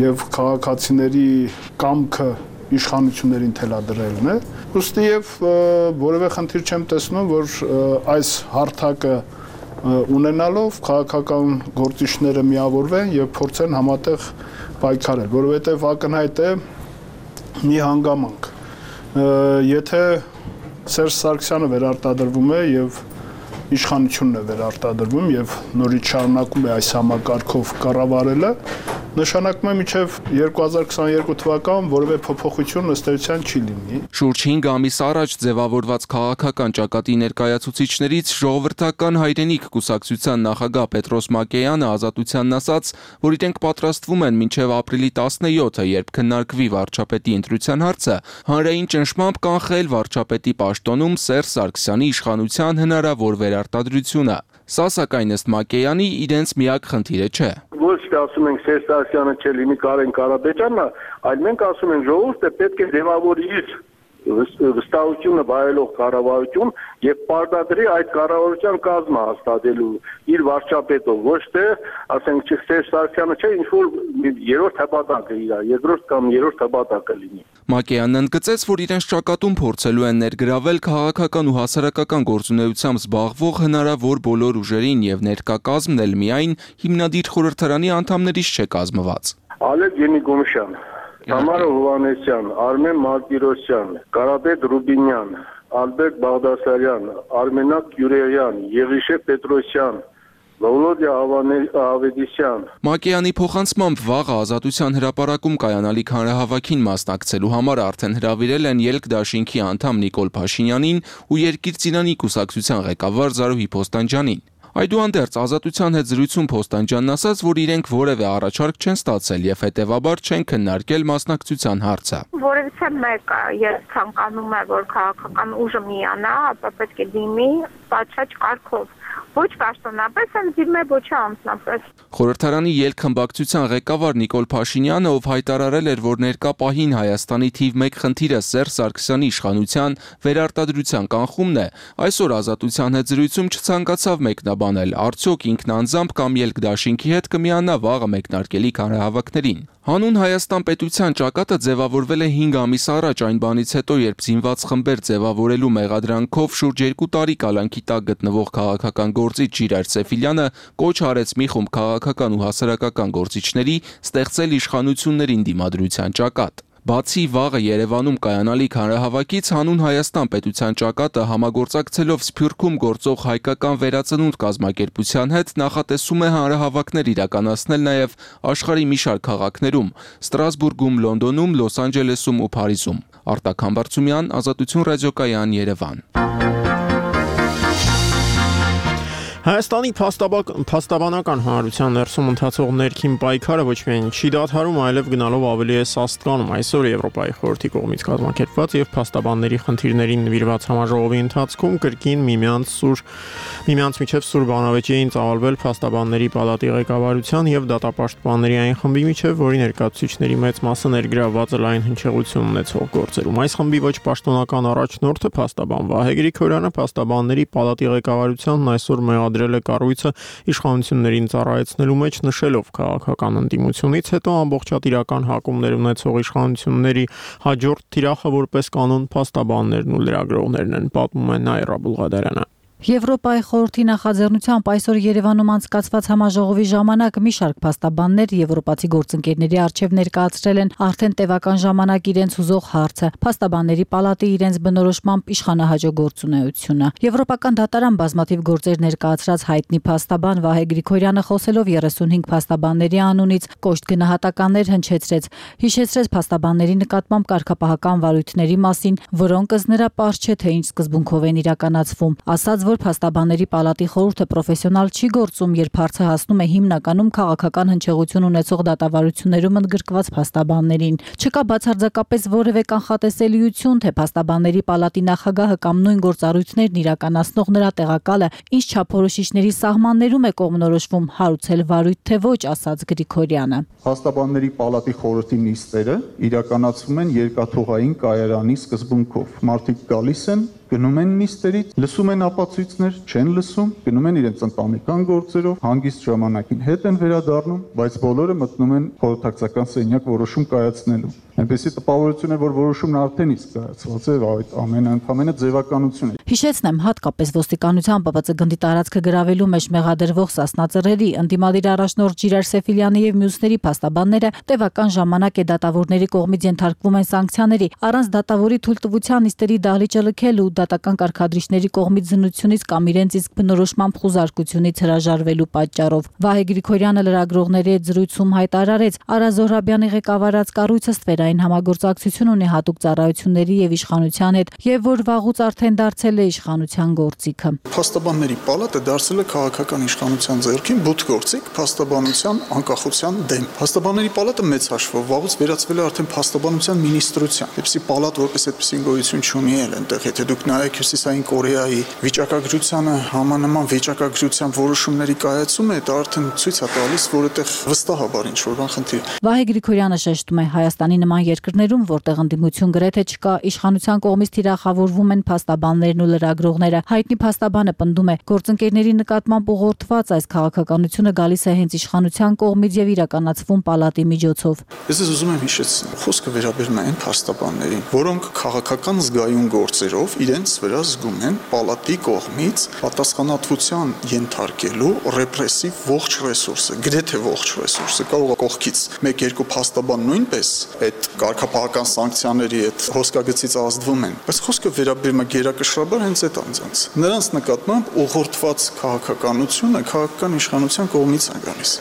եւ քաղաքացիների կամքը իշխանություններին թելադրելն է։ Ոստի եւ որևէ խնդիր չեմ տեսնում, որ այս հարթակը ունենալով քաղաքական գործիչները միավորվեն եւ փորձեն համատեղ պայքարել, որովհետեւ ակնհայտ է մի հանգամանք։ Եթե Սերժ Սարգսյանը վերարտադրվում է եւ իշխանությունն է վերարտադրվում եւ նորից շարունակում է այս համակարգով կառավարելը, նշանակում է մինչև 2022 թվական որևէ փոփոխություն ըստ էության չի լինի։ Շուրջ 5 ամիս առաջ ձևավորված քաղաքական ճակատի ներկայացուցիչներից ժողովրդական հայրենիք կուսակցության նախագահ Պետրոս Մակեյանը Ազատությանն ասաց, որ իրենք պատրաստվում են մինչև ապրիլի 17-ը, երբ քննարկվի վարչապետի ընտրության հարցը, հանրային ճնշմամբ կանխել վարչապետի պաշտոնում Սերժ Սարգսյանի իշխանության հնարավոր վերարտադրությունը։ Սա սակայն ըստ Մակեյանի իրենց միակ խնդիրը չէ։ Ոչ թե ասում ենք Սերժ Սարգսյանը չէ լինի Կարեն Կարապետյանն, այլ մենք ասում ենք ժողովուրդը պետք է ձևավորի իր վստահությունը վայելող կառավարություն եւ պարտադրի այդ կառավարության կազմը հաստատելու իր վարչապետով, ոչ թե ասենք Սերժ Սարգսյանը չէ ինչ որ երրորդ հպատակը իր, երկրորդ կամ երրորդ հպատակը լինի։ Մակեյանն ընդգծեց, որ իրենց ճակատում փորձելու են ներգրավել քաղաքական ու հասարակական գործունեությամբ զբաղվող հնարավոր բոլոր ուժերին եւ ներկա կազմն էլ միայն հիմնադիր խորհրդարանի անդամներից չէ կազմված։ Ալեկ Յենիկոմշյան, Համարո Հովանեսյան, Արմեն Մարտիրոսյան, Կարապետ Ռուբինյան, Ալբերտ Բաղդասարյան, Արմենակ Յուրեյան, Եղիշե Պետրոսյան, Վոլոդիա Ավետիսյան։ Մակեյանի փոխանցմամբ վաղը Ազատության հրապարակում կայանալիք հանրահավաքին մասնակցելու համար արդեն հրավիրել են Ելք դաշինքի անդամ Նիկոլ Փաշինյանին ու Երկիր-Ծիրանի կուսակցության ղեկավար Զարուհի Փոստանջյանին։ Այդուհանդերձ Ազատության հետ զրույցում Փոստանջյանն ասաց, որ իրենք որևէ առաջարկ չեն ստացել եւ հետեւաբար չեն քննարկել մասնակցության հարցը։ Որևէ մեկը ես ցանկանում եմ, որ քաղաքական ուժը միանա, ապա պետք է դիմի պատշաճ կարգով։ Ոչ պաշտոնապես, ընդդիմե ոչ անձնապես։ Խորհրդարանի ելք խմբակցության ղեկավար Նիկոլ Փաշինյանը, ով հայտարարել էր, որ ներկա պահին Հայաստանի թիվ 1 խնդիրը Սերժ Սարգսյանի իշխանության վերարտադրության կանխումն է, այսօր Ազատության հետ զրույցում չցանկացավ մեկնաբանել, արդյոք ինքն անձամբ կամ ելք դաշինքի հետ կմիանա վաղը մեկնարկելիք հանրահավաքներին։ Հանուն Հայաստան պետության ճակատը ձևավորվել է 5 ամիս առաջ այն բանից հետո, երբ զինված խմբեր ձևավորելու մեղադրանքով շուրջ 2 տարի կալանքի տակ գտնվող քաղաքական գործիչ Ժիրայր Սեֆիլյանը կոչ արեց մի խումբ քաղաքական ու հասարակական գործիչների ստեղծել իշխանություններին դիմադրության ճակատ։ Բացի վաղը Երևանում կայանալիք հանրահավաքից հանուն Հայաստան պետության ճակատը համագործակցելով Սփյուռքում գործող հայկական վերածնունդ կազմակերպության հետ նախատեսում է հանրահավաքներ իրականացնել նաև աշխարհի մի շարք քաղաքներում՝ Ստրասբուրգում, Լոնդոնում, Լոս Անջելեսում ու Փարիզում։ Արտակ Համբարձումյան, Ազատություն ռադիոկայան, Երևան։ Հայաստանի փաստաբանական հանրության ներսում ընթացող ներքին պայքարը ոչ միայն չի դադարում, այլև գնալով ավելի է սաստկանում։ Այսօր Եվրոպայի խորհրդի կողմից կազմակերպված եւ փաստաբանների խնդիրներին նվիրված համաժողովի ընթացքում կրկին միմյանց միջև սուր բանավեճի էին ծավալվել փաստաբանների պալատի ղեկավարության եւ դատապաշտպանների այն խմբի միջև, որի ներկայացուցիչների մեծ մասը ներգրավված է լայն հնչեղություն ունեցող գործերում։ Այս խմբի ոչ պաշտոնական առաջնորդը փաստաբան Վահե Գրիգորյանը փաստաբանների պալատի ղեկավարությանն այսօր մեղադրել է կառույցը իշխանություններին ծառայեցնելու մեջ, նշելով քաղաքական ընդդիմությունից հետո ամբողջատիրական հակումներ ունեցող իշխանությունների հաջորդ թիրախը որպես կանոն փաստաբաններն ու լրագրողներն են, պատմում է Նայրա Բուլղադարյանը։ Եվրոպայի խորհրդի նախաձեռնությամբ այսօր Երևանում անցկացված համաժողովի ժամանակ մի շարք փաստաբաններ եվրոպացի գործընկերների առջև ներկայացրել են արդեն տևական ժամանակ իրենց հուզող հարցը՝ փաստաբանների պալատի իրենց բնորոշմամբ իշխանահաջող գործունեությունը։ Եվրոպական դատարան բազմաթիվ գործեր ներկայացրած հայտնի փաստաբան Վահե Գրիգորյանը խոսելով 35 փաստաբանների անունից կոշտ գնահատականներ հնչեցրեց, հիշեցրեց փաստաբանների նկատմամբ կարգապահական վարույթների մասին, որոնք ըստ նրա պարզ չէ թե ինչ սկզբունքով են իրականացվում, ասաց, որ փաստաբանների պալատի խորհուրդը պրոֆեսիոնալ չի գործում, երբ հարցը հասնում է հիմնականում քաղաքական հնչեղություն ունեցող դատավարություններում ընդգրկված փաստաբաններին։ Չկա բացարձակապես որևէ կանխատեսելիություն, թե փաստաբանների պալատի նախագահը կամ նույն գործառույթներն իրականացնող նրա տեղակալը ինչ չափորոշիչների սահմաններում է կողմնորոշվում, հարուցել վարույթ թե ոչ, ասաց Գրիգորյանը։ Փաստաբանների պալատի խորհրդի նիստերը իրականացվում են երկաթուղային կայարանի սկզբունքով։ Մարդիկ գալիս են, գնում են նիստերից, լսում են ապացույցներ, չեն լսում, գնում են իրենց ընտանեկան գործերով, հանգիստ ժամանակին հետ են վերադառնում, բայց բոլորը մտնում են խորհրդակցական սենյակ որոշում կայացնելու։ Այնպեսի տպավորություն է, որ որոշումն արդեն իսկ կայացված է, այդ ամենը ընդհանրապես ձևականություն է։ Հիշեցնեմ, հատկապես ոստիկանության ՊՊՑ գնդի տարածքը գրավելու մեջ մեղադրվող Սասնա Ծռերի, ընդդիմադիր առաջնորդ Ժիրայր Սեֆիլյանի եւ մյուսների փաստաբանները տևական ժամանակ է դատավորների կողմից ենթարկվում են սանկցիաների, առանց դատավորի թույլտվության նիստերի դահլիճը լքելու, դատական կարգադրիչների կողմից զննությունից կամ իրենց իսկ բնորոշմամբ խուզարկությունից հրաժարվելու պատճառով։ Վահե Գրիգորյանը լրագրողների հետ զրույցում հայտարարեց, Արա Զոհրաբյանի ղեկավարած կառույցը համաճարակային համագործակցություն ունի հատուկ ծառայությունների եւ իշխանության հետ եւ որ վաղուց արդեն դարձել է իշխանության գործիքը։ Փաստաբանների պալատը դարձել է քաղաքական իշխանության ձեռքին բութ գործիք փաստաբանության անկախության դեմ։ Փաստաբանների պալատը մեծ հաշվով վաղուց վերածվել է արդեն փաստաբանության մինիստրության։ Այդպիսի պալատ որպես այդպիսի գոյություն չունի այնտեղ, եթե դուք նայեք Հյուսիսային Կորեայի վիճակագրությանը համանման վիճակագրության որոշումների կայացումը, դա արդեն ցույց է տալիս, որ այդտեղ վստահաբար ինչ որ բան խնդիր։ Վահե Գրիգորյանը շեշտում է, Հայաստանի նման երկրներում, որտեղ ընդդիմություն գրեթե չկա, իշխանության կողմից թիրախավորվում են փաստաբաններն ու լրագրողները։ Հայտնի փաստաբանը պնդում է, գործընկերների նկատմամբ ուղղորդված այս քաղաքականությունը գալիս է հենց իշխանության կողմից եւ իրականացվում պալատի միջոցով։ Ես ուզում եմ հիշեցնել, խոսքը վերաբերում է այն փաստաբաններին, որոնք քաղաքական զգայուն գործերով իրենց վրա զգում են պալատի կողմից պատասխանատվության ենթարկելու ռեպրեսիվ ողջ ռեսուրսը, գրեթե ողջ ռեսուրսը, կարող է կողքից 1-2 փաստաբան նույնպես այդ կարգապահական սանկցիաների այդ հոսքագծից ազդվում են, բայց խոսքը վերաբերում է գերակշռաբար հենց այդ անձանց։ Նրանց նկատմամբ ուղղորդված քաղաքականությունը քաղաքական իշխանության կողմից է գալիս։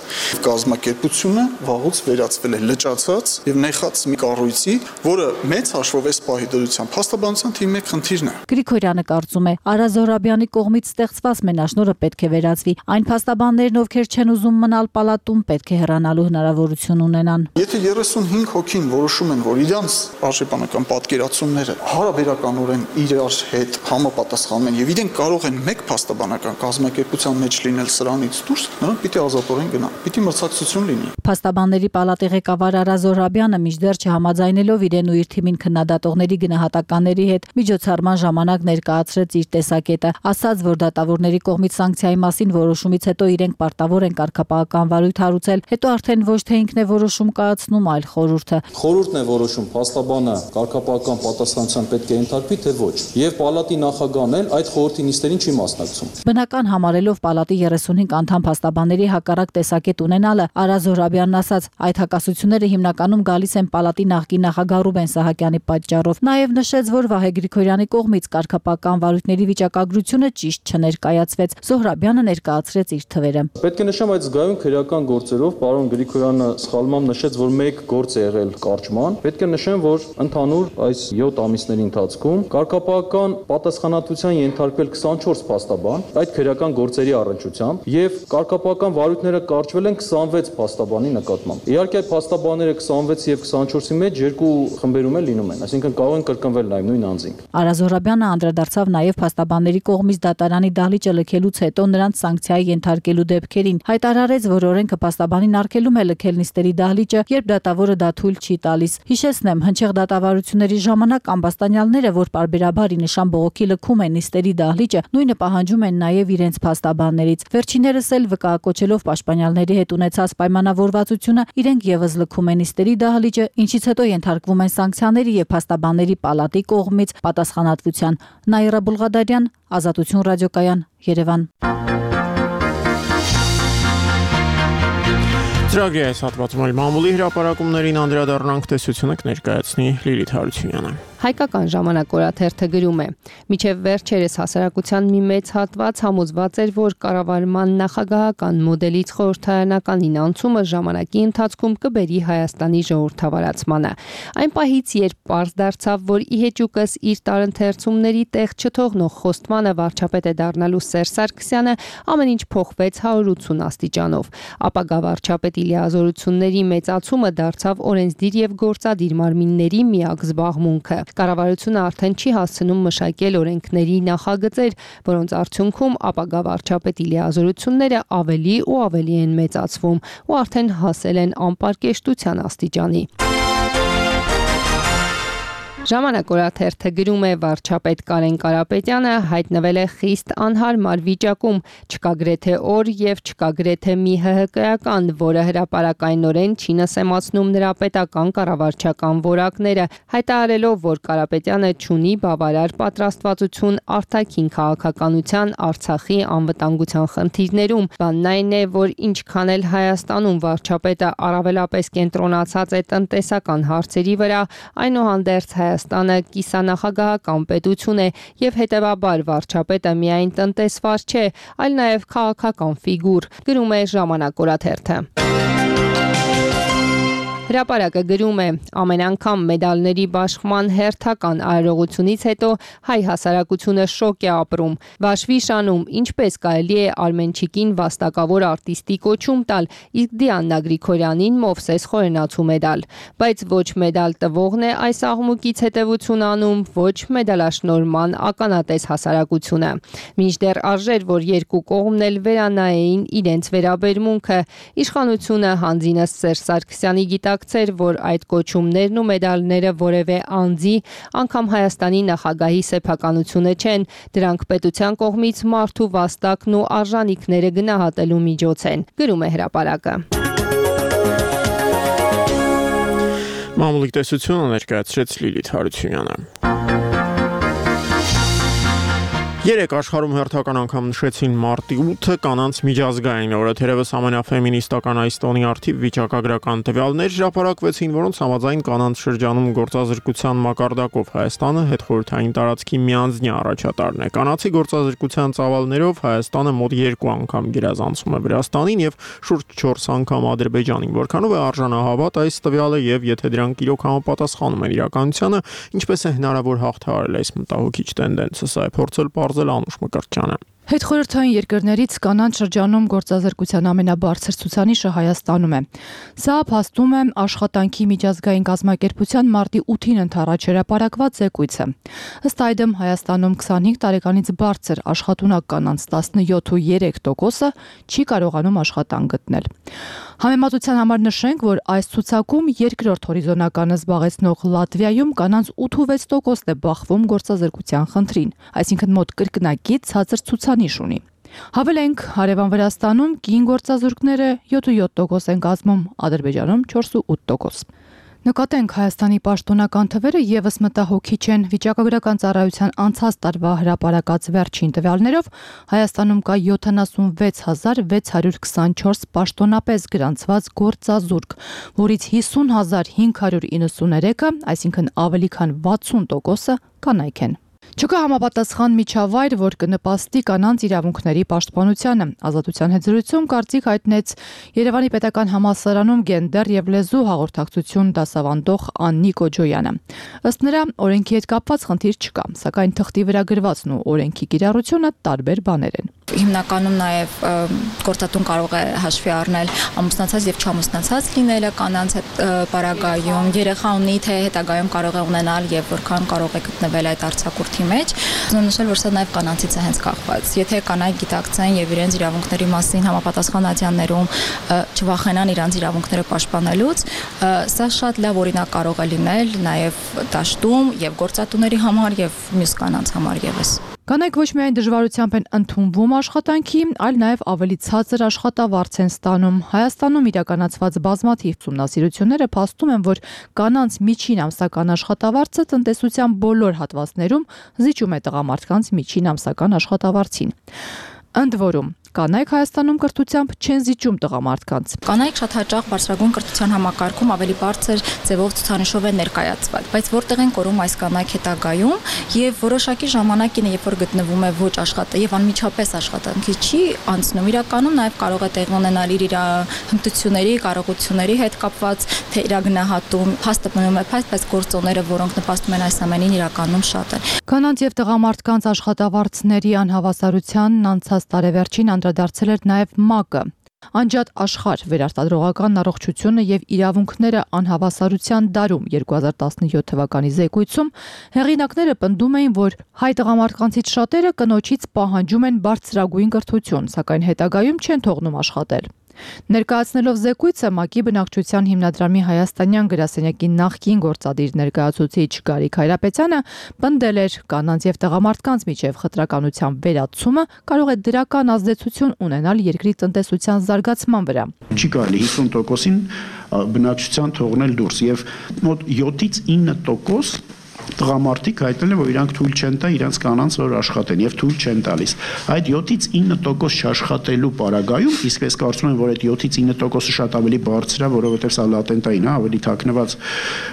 Կազմակերպությունը վաղուց վերածվել է լճացած եւ նեխած մի կառույցի, որը մեծ հաշվով էս պահի դրությամբ փաստաբանության թիմի մեկ խնդիրն է։ Գրիգորյանը կարծում է, Արա Զոհրաբյանի կողմից ստեղծված մենաշնորհը պետք է վերածվի։ Այն փաստաբաններն, ովքեր չեն ուզում մնալ պալատում, պետք է հեռանալու հնարավորություն ունենան։ Եթե 35 հոգին որոշում են, որ իրանց արժեբանական պատկերացումները հարաբերականորեն իրար հետ համապատասխանում են եւ իրենք կարող են մեկ փաստաբանական կազմակերպության մեջ լինել սրանից դուրս, նրանք պիտի ազատորեն գնան։ Պիտի մրցակցություն լինի։ Փաստաբանների պալատի ղեկավար Արա Զոհրաբյանը մինչդեռ չհամաձայնելով իրեն ու իր թիմին քննադատողների գնահատականների հետ միջոցառման ժամանակ ներկայացրեց իր տեսակետը, ասաց, որ դատավորների կողմից սանկցիայի մասին որոշումից հետո իրենք պարտավոր են կարգապահական վարույթ հարուցել, հետո արդեն ոչ թե ինքն է որոշում կայացնում, այլ խորհուրդը։ Խորհուրդն է որոշում, փաստաբանը կարգապահական պատասխանատվության պետք է ենթարկվի, թե ոչ։ Եվ պալատի նախագահն էլ այդ խորհրդի նիստերին չի մասնակցում։ Բնական համարելով պալատի 35 անդամ փաստաբանների հակառակ տեսակետ ունենալը, Արա Զոհրաբյանն ասաց, այդ հակասությունները հիմնականում գալիս են պալատի նախկին նախագահ Ռուբեն Սահակյանի պատճառով։ Նաև նշեց, որ Վահե Գրիգորյանի կողմից կարգապահական վարույթների վիճակագրությունը ճիշտ չներկայացվեց։ Զոհրաբյանը ներկայացրեց իր թվերը։ Պետք է նշեմ, այդ զգայուն քրեական գործերով պարոն Գրիգորյանը սխալմամբ նշեց, որ մեկ գործ է եղել կարճման։ Պետք է նշեմ, որ ընդհանուր այս 7 ամիսների ընթացքում կարգապահական պատասխանատվության ենթարկվել 24 փաստաբան այդ քրեական գործերի առնչությամբ եւ կարգապահական վարույթները կարճվել են 26 փաստաբանի նկատմամբ։ Իհարկե այդ փաստաբանները 26 եւ 24-ի մեջ երկու խմբերում էլ լինում են, այսինքն կարող են կրկնվել նաեւ նույն անձինք։ Արա Զոհրաբյանը անդրադարձավ նաեւ փաստաբանների կողմից դատարանի դահլիճը լքելուց հետո նրանց սանկցիայի ենթարկելու դեպքերին։ Հայտարարեց, որ օրենքը փաստաբանին արգելում է լքել նիստերի դահլիճը, երբ դատավորը դա թույլ չի տալիս։ Հիշեցնեմ, հնչեղ դատավարությունների ժամանակ ամբաստանյալները, որ պարբերաբար ի նշան բողոքի լքում են նիստերի դահլիճը, նույնը պահանջում են նաեւ իրենց փաստաբաններից։ Վերջիններս էլ վկայակոչելով պաշտպանյալների հետ ունեցած պայմանավորվածությունը, իրենք եւս լքում են նիստերի դահլիճը, ինչից հետո ենթարկվում են սանկցիաների եւ փաստաբանների պալատի կողմից պատասխանատվության։ Նաիրա Բուլղադարյան, Ազատություն ռադիոկայան, Երևան։ Ծրագրի այս հատվածում էլ մամուլի հրապարակումներին անդրադառնանք, տեսությունը կներկայացնի Լիլիթ Հարությունյանը։ Հայկական ժամանակ օրաթերթը գրում է. «Մինչև վերջերս հասարակության մի մեծ հատված համոզված էր, որ կառավարման նախագահական մոդելից խորհրդարանականին անցումը ժամանակի ընթացքում կբերի Հայաստանի ժողովրդավարացմանը։ Այն պահից, երբ պարզ դարձավ, որ ի հեճուկս իր տարընթերցումների տեղ չթողնող խոստմանը վարչապետ է դառնալու Սերժ Սարգսյանը, ամեն ինչ փոխվեց 180 աստիճանով։ Ապագա վարչապետի լիազորությունների մեծացումը դարձավ օրենսդիր եւ գործադիր մարմինների միակ զբաղմունքը։ Կառավարությունը արդեն չի հասցնում մշակել օրենքների նախագծեր, որոնց արդյունքում ապագա վարչապետի լիազորությունները ավելի ու ավելի են մեծացվում ու արդեն հասել են անպարկեշտության աստիճանի։ Ժամանակ օրաթերթը գրում է. վարչապետ Կարեն Կարապետյանը հայտնվել է խիստ անհարմար վիճակում, չկա գրեթե օր եւ չկա գրեթե մի ՀՀԿ-ական, որը հրապարակայնորեն չի նսեմացնում նրա պետական կառավարչական որակները, հայտարարելով, որ Կարապետյանը չունի բավարար պատրաստվածություն արտաքին քաղաքականության, Արցախի անվտանգության խնդիրներում։ Բանն այն է, որ ինչքան էլ Հայաստանում վարչապետը առավելապես կենտրոնացած է տնտեսական հարցերի վրա, այնուհանդերձ Հայաստանը կիսանախագահական պետություն է եւ հետեւաբար վարչապետը միայն տնտեսվար չէ, այլ նաեւ քաղաքական ֆիգուր, գրում է Ժամանակ օրաթերթը։ Հրապարակը գրում է. ամեն անգամ մեդալների բաշխման հերթական արարողությունից հետո հայ հասարակությունը շոկ է ապրում։ Վաշվիշանում ինչպես կարելի է Արմենչիկին վաստակավոր արտիստի կոչում տալ, իսկ Դիանա Գրիգորյանին Մովսես խորենացու մեդալ։ Բայց ոչ մեդալ տվողն է այս աղմուկից հետևություն անում, ոչ մեդալաշնորհման ականատես հասարակությունը։ Մինչդեռ արժեր, որ երկու կողմն էլ վերանայեին իրենց վերաբերմունքը, իշխանությունը հանձինս Սերժ Սարգսյանի գիտակցեր, որ այդ կոչումներն ու մեդալները որևէ անձի, անգամ Հայաստանի նախագահի սեփականությունը չեն, դրանք պետության կողմից մարդու վաստակն ու արժանինքները գնահատելու միջոց են, գրում է հրապարակը։ Մամուլի տեսությունը ներկայացրեց Լիլիթ Հարությունյանը։ Երեք աշխարհում հերթական անգամ նշեցին մարտի 8-ը կանանց միջազգային օրը, թերևս ամենաֆեմինիստական այս տոնի արդիվ վիճակագրական տվյալներ հրապարակվեցին, որոնց համաձայն կանանց շրջանում գործազրկության մակարդակով Հայաստանը հետխորհրդային տարածքի միանձնյա առաջատարն է։ Կանացի գործազրկության ծավալներով Հայաստանը մոտ 2 անգամ գերազանցում է Վրաստանին եւ շուրջ 4 անգամ Ադրբեջանին։ Որքանով է արժանահավատ այս տվյալը եւ եթե դրանք իրոք համապատասխանում են իրականությանը, ինչպես է հնարավոր հաղթահարել այս մտահոգիչ տենդենսը, սա է փորձել Անուշ Մկրտչյանը։ Հետխորհրդային երկրներից կանանց շրջանում գործազրկության ամենաբարձր ցուցանիշը Հայաստանում է։ Սա փաստում է աշխատանքի միջազգային կազմակերպության մարտի 8-ին ընդառաջ հրապարակված զեկույցը։ Ըստ այդմ Հայաստանում 25 տարեկանից բարձր աշխատունակ կանանց 17.3%-ը չի կարողանում աշխատանք գտնել։ Համեմատության համար նշենք, որ այս ցուցակում երկրորդ հորիզոնականը զբաղեցնող Լատվիայում կանանց 8.6%-ն է բախվում գործազրկության խնդրին, այսինքն մոտ կրկնակի ցածր ցուցանիշ ունի։ Հավելենք, հարևան Վրաստանում կին գործազուրկները 7.7% են կազմում, Ադրբեջանում 4.8%։ Նկատենք Հայաստանի պաշտոնական թվերը եւս մտահոգիչ են։ Վիճակագրական ծառայության անցած տարվա հրապարակած վերջին տվյալներով Հայաստանում կա 76624 պաշտոնապես գրանցված գործազուրկ, որից 50593-ը, այսինքն ավելի քան 60%-ը կանայք են։ Չկա համապատասխան միջավայր, որ կնպաստի կանանց իրավունքների պաշտպանությանը։ Ազատության հետ զրույցում կարծիք հայտնեց Երևանի պետական համալսարանում գենդեր եւ լեզու հաղորդակցություն դասավանդող Աննի Կոջոյանը։ Ըստ նրա, օրենքի հետ կապված խնդիր չկա, սակայն թղթի վրա գրվածն ու օրենքի կիրառությունը տարբեր բաներ են։ Հիմնականում նաև գործատուն կարող է հաշվի առնել ամուսնացած եւ չամուսնացած լինելը կանանց հետ պարագայում, երեխա ունի թե հետագայում կարող է ունենալ եւ որքան կարող է գտնվել այդ արձակուրդի մեջ։ Ուզում նշել, որ սա նաև կանանցից է հենց կախված։ Եթե կանայք գիտակցեն եւ իրենց իրավունքների մասին համապատասխան ատյաններում չվախենան իրենց իրավունքները պաշտպանելուց, սա շատ լավ օրինակ կարող է լինել նաև դաշտում եւ գործատուների համար եւ մյուս կանանց համար եւս։ Կանայք ոչ միայն դժվարությամբ են ընդունվում աշխատանքի, այլ նաև ավելի ցածր աշխատավարձ են ստանում։ Հայաստանում իրականացված բազմաթիվ ուսումնասիրությունները փաստում են, որ կանանց միջին ամսական աշխատավարձը տնտեսության բոլոր հատվածներում զիջում է տղամարդկանց միջին ամսական աշխատավարձին։ Ընդ որում, կանայք Հայաստանում կրթությամբ չեն զիջում տղամարդկանց։ Կանայք շատ հաճախ բարձրագույն կրթության համակարգում ավելի բարձր ձևով ցուցանիշով են ներկայացված, բայց որտեղ են կորում այս կանայք հետագայում եւ որոշակի ժամանակին, երբ որ գտնվում է ոչ աշխատը եւ անմիջապես աշխատանքի չի անցնում, իրականում նաեւ կարող է տեղ ունենալ իր հմտությունների, կարողությունների հետ կապված թե իրագնահատում, փաստը մնում է փաստ, բայց գործոնները, որոնք նպաստում են այս ամենին, իրականում շատ են։ Կանանց եւ տղամարդկանց աշխատավարձների անհավասարությանն անցած տարեվերջին անդրադարձել էր նաև ՄԱԿ-ը։ Անջատ աշխարհ վերարտադրողական առողջությունը եւ իրավունքները անհավասարության դարում 2017 թվականի զեկույցում հեղինակները պնդում էին, որ հայ տղամարդկանցից շատերը կնոջից պահանջում են բարձրագույն կրթություն, սակայն հետագայում չեն թողնում աշխատել։ Ներկայացնելով զեկույցը ՄԱԿ-ի բնակչության հիմնադրամի հայաստանյան գրասենյակի նախկին գործադիր ներկայացուցիչ Գարիկ Հայրապետյանը պնդել էր կանանց եւ տղամարդկանց միջև խտրականության վերացումը կարող է դրական ազդեցություն ունենալ երկրի տնտեսության զարգացման վրա։ Չի կարելի 50%-ին բնակչության թողնել դուրս եւ մոտ 7-ից 9% տղամարդիկ հայտնել են, որ իրանք թույլ չեն տա իրենց կանանց որ աշխատեն եւ թույլ չեն տալիս։ Այդ 7-ից 9% չաշխատելու պարագայում, իսկ ես կարծում եմ, որ այդ 7-ից 9%-ը շատ ավելի բարձր է, որովհետեւ սա լատենտային է, ավելի թաքնված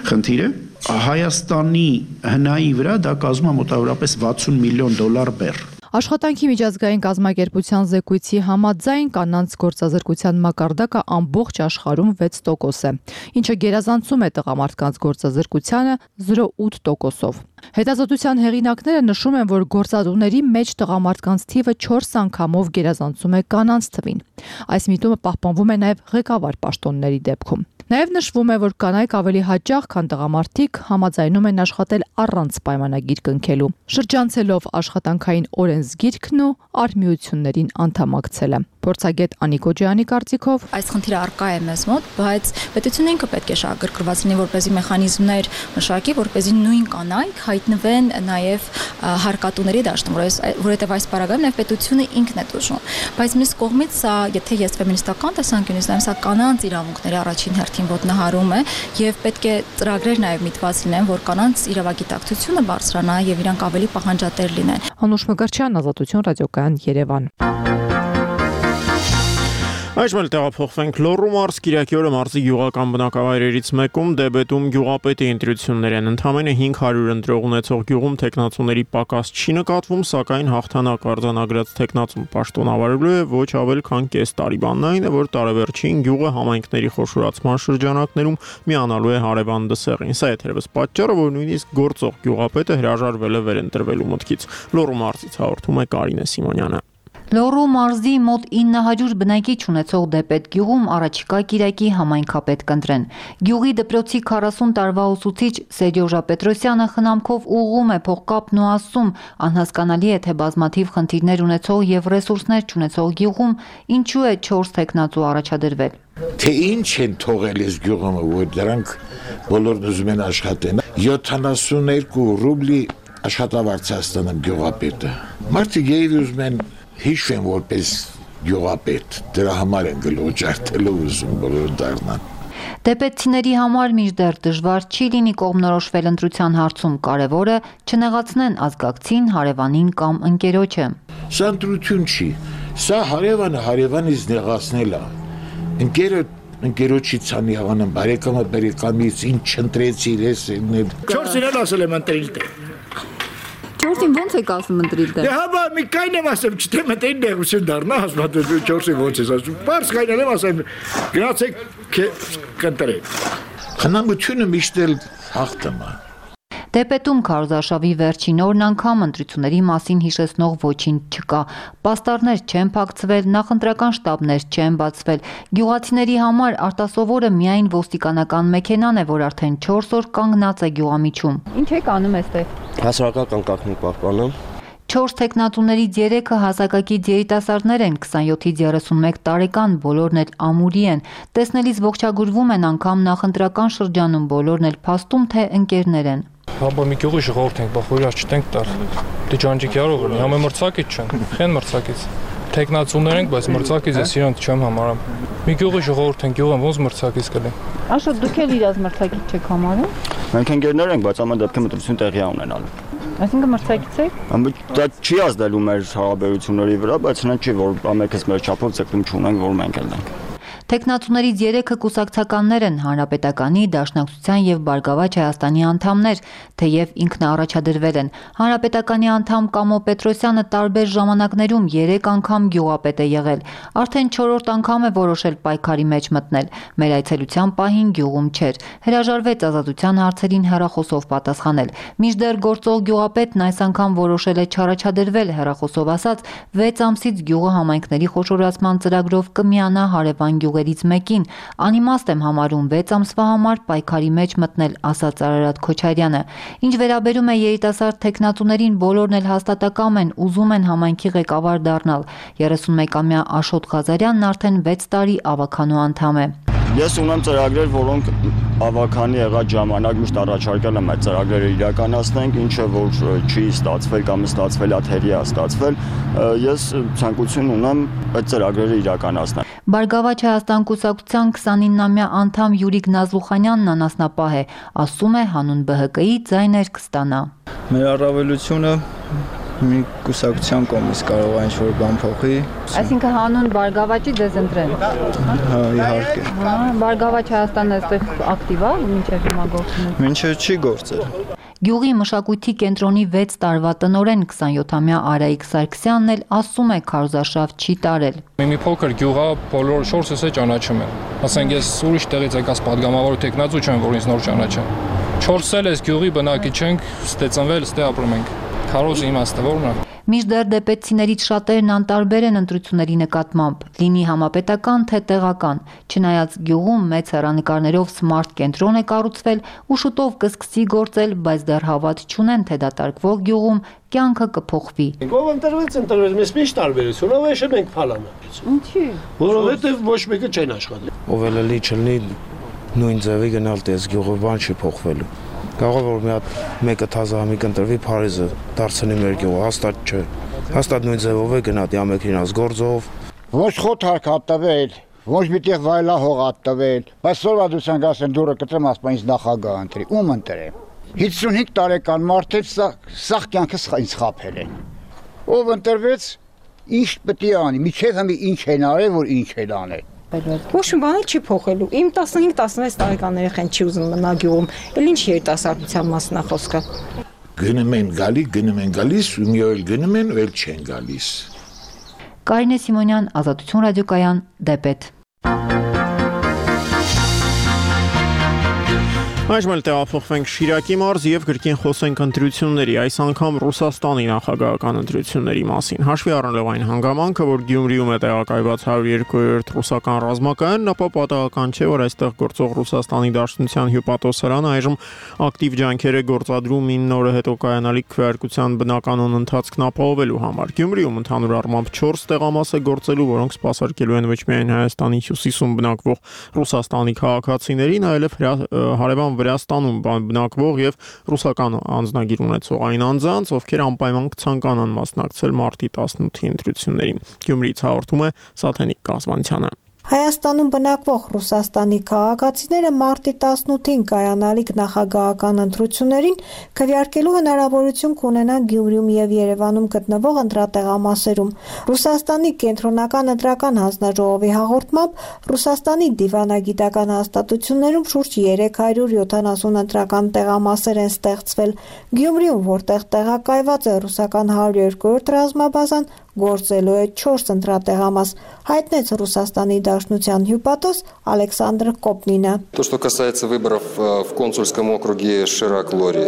խնդիր է։ Հայաստանի հնայի վրա դա կազմում է մոտավորապես $60 միլիոն բեռ։ Աշխատանքի միջազգային կազմակերպության զեկույցի համաձայն կանանց գործազրկության մակարդակը ամբողջ աշխարհում 6% է, ինչը գերազանցում է տղամարդկանց գործազրկությանը 0.8%-ով։ Հետազոտության հեղինակները նշում են, որ գործադուների մեջ տղամարդկանց թիվը 4 անգամով գերազանցում է կանանց թվին։ Այս միտումը պահպանվում է նաև ղեկավար պաշտոնների դեպքում։ Նաև նշվում է, որ կանայք ավելի հաճախ, քան տղամարդիկ համաձայնում են աշխատել առանց պայմանագիր կնքելու, շրջանցելով աշխատանքային օրենսգիրքն ու արհմիություններին անդամակցելը։ Փորձագետ Անիկ Օջյանի կարծիքով այս խնդիրը առկա է մեզ մոտ, բայց պետությունը ինքը պետք է շահագրգռված լինի, որպեսզի մեխանիզմներ մշակի, որպեսզի նույն կանայք հայտնվեն նաև հարկատուների դաշտում, որովհետև այս պարագայում նաև պետությունը ինքն է տուժում։ Բայց մյուս կողմից սա, եթե ես ֆեմինիստական տեսանկյունից նայեմ, սա կանանց իրավունքների առաջին հերթին ոտնահարում է եւ պետք է ծրագրեր նաև միտված լինեն, որ կանանց իրավագիտակցությունը բարձրանա եւ իրանք ավելի պահանջատեր լինեն։ Անուշ Մկրտչյան, Ազատություն ռադիոկայան, Երևան։ Այժմ էլ տեղափոխվենք Լոռու մարզ, Կիրակի օրը մարզի գյուղական բնակավայրերից մեկում դեբետում գյուղապետի ընտրություններ են։ Ընդամենը 500 ընտրող ունեցող գյուղում տեխնացուների պակաս չի նկատվում, սակայն հաղթանակ արձանագրած տեխնացուն պաշտոնավարելու է ոչ ավել քան կես տարի։ Բանն այն է, որ տարեվերջին գյուղը համայնքների խոշորացման շրջանակներում միանալու է հարևան դսեղին։ Սա է թերևս պատճառը, որ նույնիսկ գործող գյուղապետը հրաժարվել է վերընտրվելու մտքից։ Լոռու մարզից հաղորդում է Կարինե Սիմոնյանը։ Լոռու մարզի մոտ 900 բնակիչ ունեցող Դեպետ գյուղում առաջիկա Կիրակի համայնքապետ կընտրեն։ Գյուղի դպրոցի 40 տարվա ուսուցիչ Սերյոժա Պետրոսյանը խնամքով ուղղում է փողկապն ու ասում, անհասկանալի է, թե բազմաթիվ խնդիրներ ունեցող եւ ռեսուրսներ չունեցող գյուղում ինչու է 4 տեխնացու առաջադրվել։ Թե ինչ են թողել այս գյուղում, որ դրանք բոլորն ուզում են աշխատեն։ 72 ռուբլի աշխատավարձ է ստանում գյուղապետը։ Մարդիկ երևի ուզում են հիշեն որպես գյուղապետ, դրա համար են գլուխ ուզում բոլորը դառնան։ Դեպետցիների համար մինչդեռ դժվար չի լինի կողմնորոշվել ընտրության հարցում, կարևորը չնեղացնեն ազգակցին, հարևանին կամ ընկերոջը։ Սա ընտրություն չի, սա հարևանը հարևանից նեղացնել է։ Ընկերոջից անի հավանեմ, բարեկամից ինչ չընտրեցիր ես ելնել։ 4 իրան ասել եմ ընտրիլ տե։ 4-ին ոնց եք ասում ընտրիլ տե։ Դե հա, մի կայն եմ ասեմ, չթեմ ընտրիլ նեղություն դառնա, ասում 4-ին ոնց ես ասում։ Պարզ կայնել եմ ասեմ, գնացեք կընտրեք։ Խնամությունը միշտ էլ հաղթում է։ Դեպետում քարոզարշավի վերջին օրն անգամ ընտրությունների մասին հիշեցնող ոչինչ չկա։ Պաստառներ չեն փակցվել, նախընտրական շտաբներ չեն բացվել։ Գյուղացիների համար արտասովորը միայն ոստիկանական մեքենան է, որ արդեն 4 օր կանգնած է գյուղամիջում։ Ինչ եք անում այստեղ։ Հասարակական կարգին պահպանում։ 4 տեխնատուներից 3-ը հասակակից երիտասարդներ են, 27-ից 31 տարեկան, բոլորն էլ ամուրի են։ Տեսնելիս ողջագուրվում են անգամ նախընտրական շրջանում, բոլորն էլ փաստում թե ընկերներ են։ Հաբա մի գյուղի ժողովուրդ ենք, բա խորի չտենք տար։ Դե ջանջիկ yarող են, համը մրցակից չեն, խեն մրցակից։ Տեխնացուներ ենք, բայց մրցակից է իրանք չեմ համարում։ Մի գյուղի ժողովուրդ ենք, գյուղը ոնց մրցակից կլի։ Աշոտ դուք էլ իրաց մրցակից չեք համարում։ Մենք ընկերներ ենք, բայց ամեն դեպքում ընտրություն տեղի ունենալու։ Այսինքն մրցակից եք։ Դա չի ազդելու մեր հարաբերությունների վրա, բայց նա չի, որ ամենքս մեր չափով ցկտում չունենք, որ մենք էլ ենք։ Տեխնատուներից 3-ը կուսակցականներ են, Հանրապետականի, Դաշնակցության եւ Բարգավաճ Հայաստանի անդամներ, թեև ինքնաառաջադրվել են։ Հանրապետականի անդամ Կամո Պետրոսյանը տարբեր ժամանակներում 3 անգամ գյուղապետ է եղել։ Արդեն 4-րդ անգամ է որոշել պայքարի մեջ մտնել։ Մեր այցելության պահին գյուղում չէր։ Հրաժարվեց ազատության հարցերին հեռախոսով պատասխանել։ Մինչդեռ գործող գյուղապետն այս անգամ որոշել է չառաջադրվել, հեռախոսով ասած 6 ամսից գյուղը համայնքների խոշորացման ծրագրով կմիանա հարևան գյուղերից մեկին։ Անիմաստ եմ համարում 6 ամսվա համար պայքարի մեջ մտնել, ասաց Արարատ Քոչարյանը։ Ինչ վերաբերում է երիտասարդ տեխնատուներին, բոլորն էլ հաստատակամ են, ուզում են համայնքի ղեկավար դառնալ։ 31-ամյա Աշոտ Ղազարյանն արդեն 6 տարի ավականու անդամ է։ Ես ունեմ ծրագրեր, որոնք ավականի եղած ժամանակ միշտ առաջարկել եմ այդ ծրագրերը իրականացնենք, ինչը որ չի ստացվել կամ ստացվել է թերի է ստացվել, ես ցանկություն ունեմ այդ ծրագրերը իրականացնել։ Բարգավաճ Հայաստան կուսակցության 29-ամյա անդամ Յուրիկ Նազլուխանյանն անասնապահ է, ասում է հանուն ԲՀԿ-ի ձայներ կստանա։ Մեր առավելությունը մի կուսակցության կողմից կարող է ինչ-որ բան փոխի։ Այսինքն հանուն Բարգավաճի դեզ ընտրեն։ Հա, իհարկե։ Բարգավաճ Հայաստանը այստեղ ակտիվ է, մինչև հիմա գործում է։ Մինչև չի գործել։ Գյուղի մշակույթի կենտրոնի 6 տարվա տնօրեն 27-ամյա Արայիկ Սարգսյանն էլ ասում է քարոզարշավ չի տարել։ Մի փոքր գյուղա բոլոր շորսս է ճանաչում են։ Ասենք ես ուրիշ տեղից եկած падգամավոր տեխնացու չեմ, որ ինձ նոր ճանաչեն։ 4 էլ ես գյուղի բնակիչ ենք, ստե ծնվել, ստե ապրում ենք։ Քարոզի իմաստը ո՞րն է։ Մինչդեռ դեպեցիներից շատերն անտարբեր են ընտրությունների նկատմամբ, լինի համապետական թե տեղական, չնայած գյուղում մեծ հեռանկարներով սմարթ կենտրոն է կառուցվել ու շուտով կսկսի գործել, բայց դեռ հավատ չունեն, թե դատարկվող գյուղում կյանքը կփոխվի։ Ով ընտրվեց, մեզ ինչ տարբերություն, ով է մենք փալանա։ Ինչի՞։ Որովհետև ոչ մեկը չեն աշխատել։ Ով էլ լի չլինի նույն ձևի գնալ տես գյուղը բան չի փոխվելու։ Կարող որ մի հատ մեկը թազահամիկ ընտրվի Փարիզը դարձնի մեր գյուղը, հաստատ չէ։ Հաստատ նույն ձևով է գնա ամենքին գործով։ Ոչ խոթարք հատվել, ոչ միտեղ վայլա հող հատվել, բայց սորվադության գասեն դուրը կտրեմ ասպա ինձ նախագահ ընտրի, ում ընտրեմ։ 55 տարեկան մարդ է սաղ կյանքս ինձ խափել է։ Ով ընտրվեց, ինչ պետք է անի, միջև հիմի ինչ են արել, որ ինչ են անել։ Ոչ մի բան չի փոխելու։ Իմ 15-16 տարեկան երեխան չի ուզում մնա գյուղում։ Էլ ինչ երիտասարդության մասն է խոսքը։ Գնում են գալիս, ու մի օր գնում են, ու էլ չեն գալիս։ Կարինե Սիմոնյան, Ազատություն ռադիոկայան, Դեպետ։ Այժմ էլ տեղափոխվենք Շիրակի մարզ եւ գրքին խոսենք ընտրությունների, այս անգամ Ռուսաստանի նախագահական ընտրությունների մասին։ Հաշվի առնելով այն հանգամանքը, որ Գյումրիում է տեղակայված 102-րդ ռուսական ռազմակայանն, ապա պատահական չէ, որ այստեղ գործող Ռուսաստանի Դաշնության հյուպատոսարանը այժմ ակտիվ ջանքեր է գործադրում 9 օրը հետո կայանալիք քվեարկության բնականոն ընթացքն ապահովելու համար։ Գյումրիում ընդհանուր առմամբ 4 տեղամաս է գործելու, որոնք սպասարկելու են ոչ միայն Հայաստանի հյուսիսում բնակվող ռուսաստանի քաղաքացիներին, այլև հարևան Վրաստանում բնակվող եւ ռուսական անձնագիր ունեցող այն անձանց, ովքեր անպայման կցանկանան մասնակցել մարտի 18-ի ընտրություններին։ Գյումրիից հաղորդում է Սաթենիկ Կազմանցյանը։ Հայաստանում բնակվող Ռուսաստանի քաղաքացիները մարտի 18-ին կայանալիք նախագահական ընտրություններին քվեարկելու հնարավորություն կունենան Գյումրիում եւ Երևանում գտնվող ընտրատեղամասերում։ Ռուսաստանի կենտրոնական ընտրական հանձնաժողովի հաղորդմամբ Ռուսաստանի դիվանագիտական հաստատություններում շուրջ 370 ընտրական տեղամասեր են ստեղծվել։ Գյումրիում, որտեղ տեղակայված է ռուսական 102-րդ ռազմաբազան, գործելու է 4 ընտրատեղամաս, հայտնեց Ռուսաստանի Դաշնության հյուպատոս Ալեքսանդր Կոպնինը։ То, что касается выборов в консульском округе Ширак-Лори,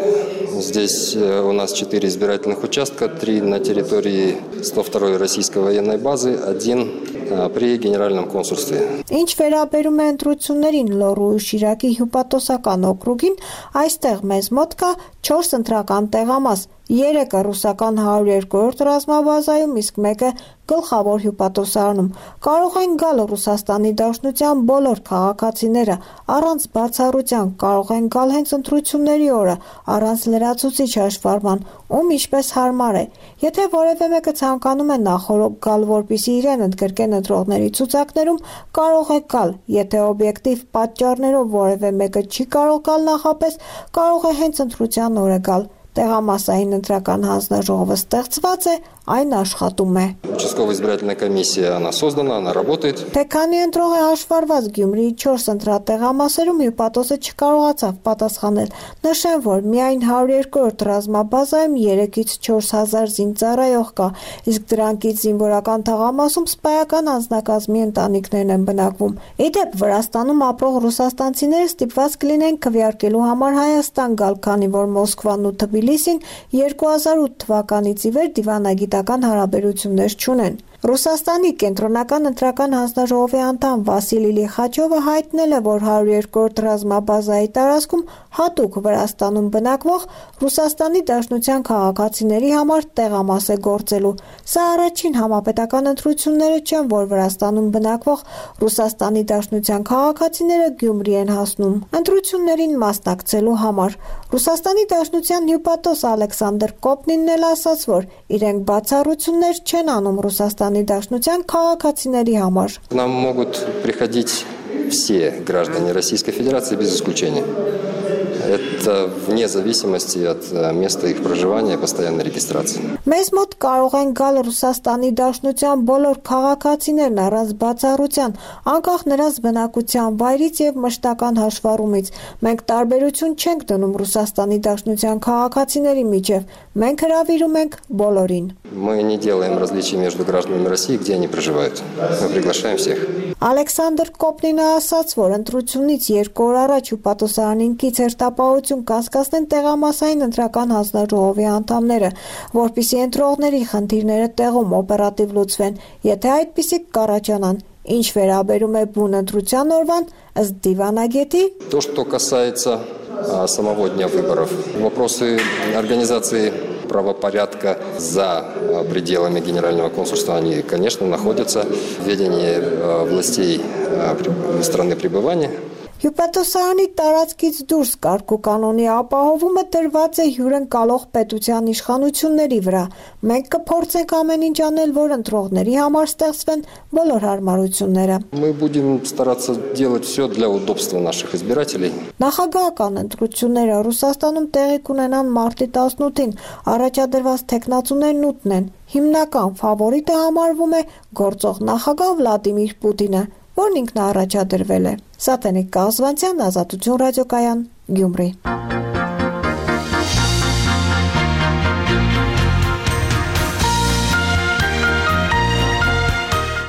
здесь у нас 4 избирательных участка, 3 на территории 102-й российской военной базы, 1 при генеральном консульстве. Ինչ վերաբերում է ընտրություններին Լոռու ու Շիրակի հյուպատոսական օկրուգին, այստեղ մեզ մոտ կա 4 ընտրական տեղամաս, 3-ը ռուսական 102-րդ ռազմաբազայում, իսկ 1-ը գլխավոր հյուպատոսարանում։ Կարող են գալ Ռուսաստանի Դաշնության բոլոր քաղաքացիները, առանց բացառության, կարող են գալ հենց ընտրությունների օրը, առանց լրացուցիչ հաշվառման, ում ինչպես հարմար է։ Եթե որևէ մեկը ցանկանում է նախօրոք գալ, որպեսզի իրեն ընդգրկեն ընտրողների ցուցակներում, կարող է գալ։ Եթե օբյեկտիվ պատճառներով որևէ մեկը չի կարող գալ նախապես, կարող է հենց ընտրության օրը գալ։ Տեղամասային ընտրական հանձնաժողովը ստեղծված է, այն աշխատում է։ Участковая избирательная комиссия, она создана, она работает. Թե քանի ընտրող է հաշվառված Գյումրիի 4 ընտրատեղամասերում հյուպատոսը չկարողացավ պատասխանել։ Նշեմ, որ միայն 102-րդ ռազմաբազայում 3-ից 4000 զինծառայող կա, իսկ դրանքից զինվորական թաղամասում սպայական անձնակազմի ընտանիքներն են բնակվում։ Իդեպ Վրաստանում ապրող ռուսաստանցիները ստիպված կլինեն քվեարկելու համար Հայաստան գալ, քանի որ Մոսկվան ու Թբիլիսին 2008 թվականից ի վեր դիվանագիտական հարաբերություններ չունեն։ Ռուսաստանի կենտրոնական ընտրական հանձնաժողովի անդամ Վասիլի Լիխաչովը հայտնել է, որ 102-րդ ռազմաբազայի տարածքում հատուկ Վրաստանում բնակվող Ռուսաստանի Դաշնության քաղաքացիների համար տեղամաս է գործելու։ Սա առաջին համապետական ընտրությունները չեն, որ Վրաստանում բնակվող Ռուսաստանի Դաշնության քաղաքացիները Գյումրի են հասնում ընտրություններին մասնակցելու համար։ Ռուսաստանի Դաշնության հյուպատոս Ալեքսանդր Կոպնինն էլ ասաց, որ իրենք բացառություններ չեն անում Ռուսաստանի Դաշնության քաղաքացիների համար։ К нам могут приходить все граждане Российской Федерации без исключения. Это вне зависимости от места их проживания и постоянной регистрации. Մեզ մոտ կարող են գալ Ռուսաստանի Դաշնության բոլոր քաղաքացիներն առանց բացառության, անկախ նրանց բնակության վայրից եւ մշտական հաշվառումից։ Մենք տարբերություն չենք դնում Ռուսաստանի Դաշնության քաղաքացիների միջև։ Մենք հրավիրում ենք բոլորին։ Мы не делаем различий между гражданами России, где они проживают. Мы приглашаем всех. Ալեքսանդր Կոպնինը ասաց, որ ընտրությունից 2 օր առաջ հյուպատոսարանին կից հերթապահություն կասկածեն տեղամասային ընտրական հանձնաժողովի անդամները, որպիսի ընտրողների խնդիրները տեղում օպերատիվ լուծվեն, եթե այդպիսի կառաջանան։ Ինչ վերաբերում է բուն ընտրության օրվան, ըստ դիվանագետի, То, что касается самого дня выборов, вопросы организации правопорядка за пределами Генерального консульства, они, конечно, находятся в ведении властей страны пребывания. Հյուպատոսարանի տարածքից դուրս կարգու կանոնի ապահովումը տրված է հյուրընկալող պետության իշխանությունների վրա։ Մենք կփորձենք ամեն ինչ անել, որ ընտրողների համար ստեղծվեն բոլոր հարմարությունները։ Мы будем стараться делать все для удобства наших избирателей. Նախագահական ընտրությունները Ռուսաստանում տեղի կունենան մարտի 18-ին, առաջադրված թեկնածուներն 8-ն են։ Հիմնական ֆավորիտը համարվում է գործող նախագահ Վլադիմիր Պուտինը, որն ինքն առաջադրվել է։ Սատենիկ Կազվանցյան, Ազատություն ռադիոկայան, Գյումրի։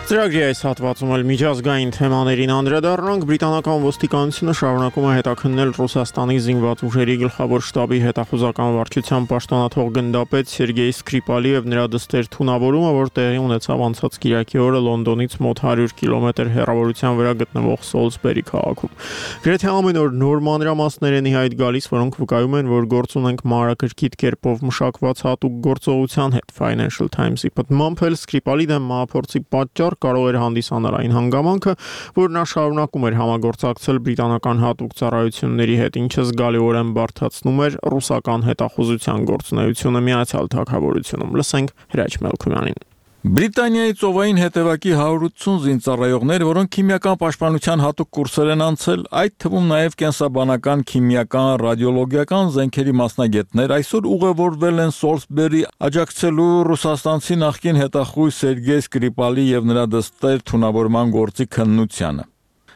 Ծրագրի այս հատվածում էլ միջազգային թեմաներին անդրադառնանք։ Բրիտանական ոստիկանությունը շարունակում է հետաքննել Ռուսաստանի զինված ուժերի գլխավոր շտաբի հետախուզական վարչության պաշտոնաթող գնդապետ Սերգեյ Սկրիպալի եւ նրա դստեր թունավորումը, որ տեղի ունեցավ անցած կիրակի օրը Լոնդոնից մոտ 100 կիլոմետր հեռավորության վրա գտնվող Սոլսբերի քաղաքում։ Գրեթե ամեն օր նոր մանրամասներ են իհայտ գալիս, որոնք վկայում են, որ գործ ունենք մանրակրկիտ կերպով մշակված հատուկ գործողության հետ։ Financial Times-ի պատմամբ Սկրիպալի դեմ մահափորձի պատճառ կարող էր հանդիսանալ այն հանգամանքը, որ նա շարունակում էր համագործակցել բրիտանական հատուկ ծառայությունների հետ, ինչը զգալիորեն բարդացնում էր ռուսական հետախուզության գործունեությունը Միացյալ Թագավորությունում։ Լսենք Հրաչ Մելքումյանին։ Բրիտանիայի ծովային հետևակի 180 զինծառայողներ, որոնք քիմիական պաշտպանության հատուկ կուրսեր են անցել, այդ թվում նաև կենսաբանական, քիմիական, ռադիոլոգիական զենքերի մասնագետներ, այսօր ուղևորվել են Սոլսբերի աջակցելու ռուսաստանցի նախկին հետախույզ Սերգեյ Սկրիպալի եւ նրա դստեր թունավորման գործի քննությանը։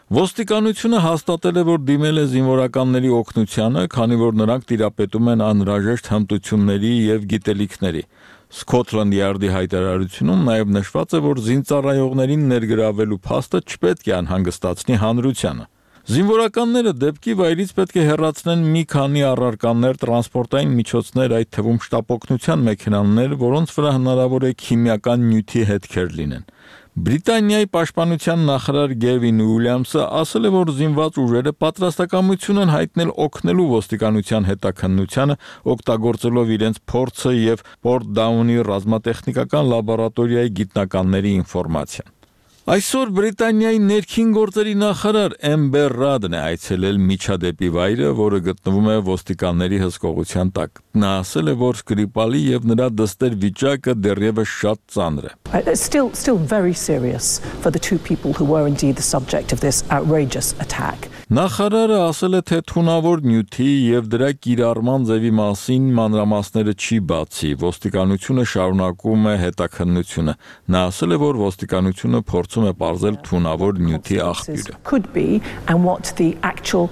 Ոստիկանությունը հաստատել է, որ դիմել է զինվորականների օգնությանը, քանի որ նրանք տիրապետում են անհրաժեշտ հմտությունների եւ գիտելիքների։ Scotland Yard-ի հայտարարությունում նաև նշված է, որ զինծառայողներին ներգրավելու փաստը չպետք է անհանգստացնի հանրությանը։ Զինվորականները դեպքի վայրից պետք է հեռացնեն մի քանի առարկաներ, տրանսպորտային միջոցներ, այդ թվում շտապօգնության մեքենաներ, որոնց վրա հնարավոր է քիմիական նյութի հետքեր լինեն։ Բրիտանիայի պաշտպանության նախարար Գևին Ուիլյամսը ասել է, որ զինված ուժերը պատրաստակամություն են հայտնել օգնելու ոստիկանության հետաքննությանը, օգտագործելով իրենց փորձը եւ Պորտդաունի ռազմատեխնիկական լաբորատորիայի գիտնականների ինֆորմացիան։ Այսօր Բրիտանիայի ներքին գործերի նախարար Էմբեր Ռադն է այցելել միջադեպի վայրը, որը գտնվում է ոստիկանների հսկողության տակ։ Նա ասել է, որ Սկրիպալի եւ նրա դստեր վիճակը դեռևս շատ ծանր է։ Still very serious for the two people who were indeed the subject of this outrageous attack. Նախարարը ասել է, թե թունավոր նյութի եւ դրա կիրառման ձևի մասին մանրամասները չի բացի։ Ոստիկանությունը շարունակում է հետաքննությունը։ Նա ասել է, որ ոստիկանությունը փորձում է պարզել թունավոր նյութի աղբյուրը։ Could be and what the actual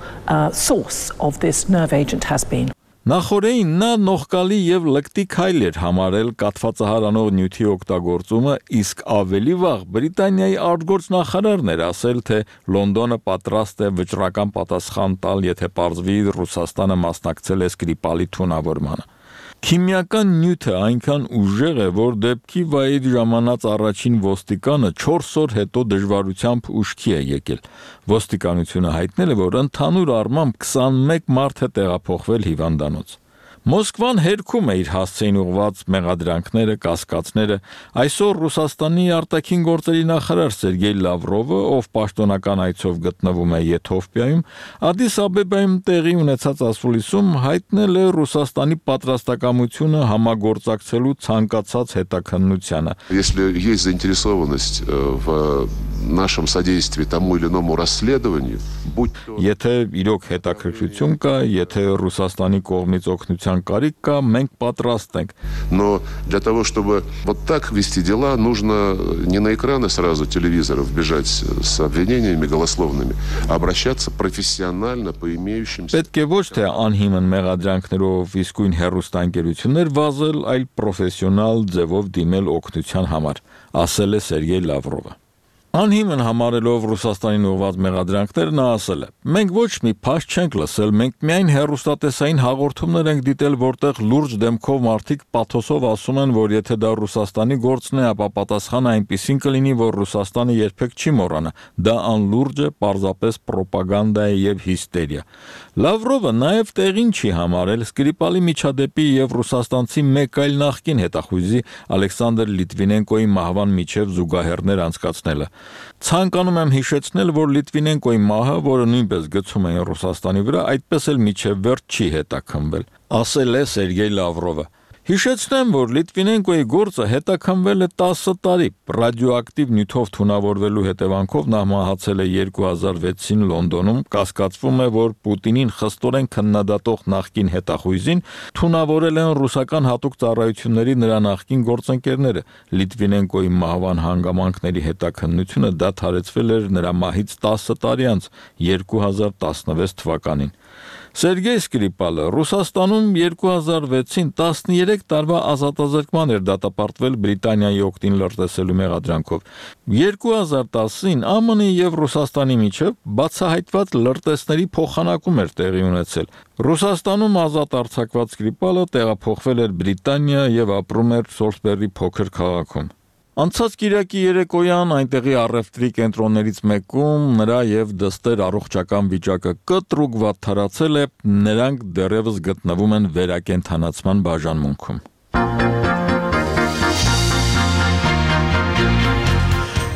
source of this nerve agent has been. Նախորդին նա նողկալի եւ լկտի քայլ էր համարել կաթվածահարանող նյութի օգտագործումը, իսկ ավելի վաղ Բրիտանիայի արտգործ նախարարն էր ասել, թե Լոնդոնը պատրաստ է վճռական պատասխան տալ, եթե պարզվի Ռուսաստանը մասնակցել է Սկրիպալի թունավորմանը։ Քիմիական նյութը այնքան ուժեղ է, որ դեպքի վայրի ժամանած առաջին ոստիկանը 4 օր հետո դժվարությամբ ուշքի է եկել։ Ոստիկանությունը հայտնել է, որ ընդհանուր առմամբ 21 մարդ է տեղափոխվել հիվանդանոց։ Մոսկվան հերքում է իր հասցեին ուղղված մեղադրանքները, կասկածները։ Այսօր Ռուսաստանի արտաքին գործերի նախարար Սերգեյ Լավրովը, ով պաշտոնական այցով գտնվում է Եթովպիայում, Ադիս Աբեբայում տեղի ունեցած ասուլիսում հայտնել է Ռուսաստանի պատրաստակամությունը համագործակցելու ցանկացած հետաքննությանը։ Если есть заинтересованность в нашем содействии тому или иному расследованию, будь то... Եթե իրոք հետաքրքրություն կա, եթե Ռուսաստանի կողմից օգնության կարիք կա, մենք պատրաստ ենք. Но для того, чтобы вот так вести дела, нужно не на экраны сразу телевизоров бежать с обвинениями голословными, а обращаться профессионально по имеющимся... Պետք է ոչ թե անհիմն մեղադրանքներով իսկույն հեռուստաընկերություններ վազել, այլ պրոֆեսիոնալ ձևով դիմել օգնության համար, ասել է Սերգեյ Լավրովը։ Անհիմն համարելով Ռուսաստանին ուղղված մեղադրանքներ նա ասել է. Մենք ոչ մի փաստ չենք լսել, մենք միայն հեռուստատեսային հաղորդումներ ենք դիտել, որտեղ լուրջ դեմքով մարդիկ պաթոսով ասում են, որ եթե դա Ռուսաստանի գործն է, ապա պատասխանը այնպիսին կլինի, որ Ռուսաստանը երբեք չի մոռանա։ Դա անլուրջ է, պարզապես պրոպագանդա է եւ հիստերիա։ Լավրովը նաեւ տեղին չի համարել Սկրիպալի միջադեպի եւ ռուսաստանցի մեկ այլ նախկին հետախույզի Ալեքսանդր Լիտվինենկոյի մահվան միջև զուգահեռներ անցկացնելը։ Ցանկանում եմ հիշեցնել, որ Լիտվինենկոյի մահը, որը նույնպես գցում էին Ռուսաստանի վրա, այդպես էլ միջև վերջ չի հետաքննվել, ասել է Սերգեյ Լավրովը։ Հիշեցնեմ, որ Լիտվինենկոյի գործը հետաքննվել է 10 տարի, ռադիոակտիվ նյութով թունավորվելու հետևանքով նա մահացել է 2006-ին Լոնդոնում, կասկածվում է, որ Պուտինին խստորեն քննադատող նախկին հետախույզին թունավորել են ռուսական հատուկ ծառայությունների նրա նախկին գործընկերները։ Լիտվինենկոյի մահվան հանգամանքների հետաքննությունը դադարեցվել էր նրա մահից 10 տարի անց, 2016 թվականին։ Սերգեյ Սկրիպալը Ռուսաստանում 2006-ին 13 տարվա ազատազրկման էր դատապարտվել Բրիտանիայի օգտին լրտեսելու մեղադրանքով։ 2010-ին ԱՄՆ-ի եւ Ռուսաստանի միջև բացահայտված լրտեսների փոխանակում էր տեղի ունեցել։ Ռուսաստանում ազատ արձակված Սկրիպալը տեղափոխվել էր Բրիտանիա եւ ապրում էր Սոլսբերի փոքր քաղաքում։ Անցած կիրակի երեկոյան այնտեղի առևտրի կենտրոններից մեկում նրա եւ դստեր առողջական վիճակը կտրուկ վատթարացել է, նրանք դեռևս գտնվում են վերակենդանացման բաժանմունքում։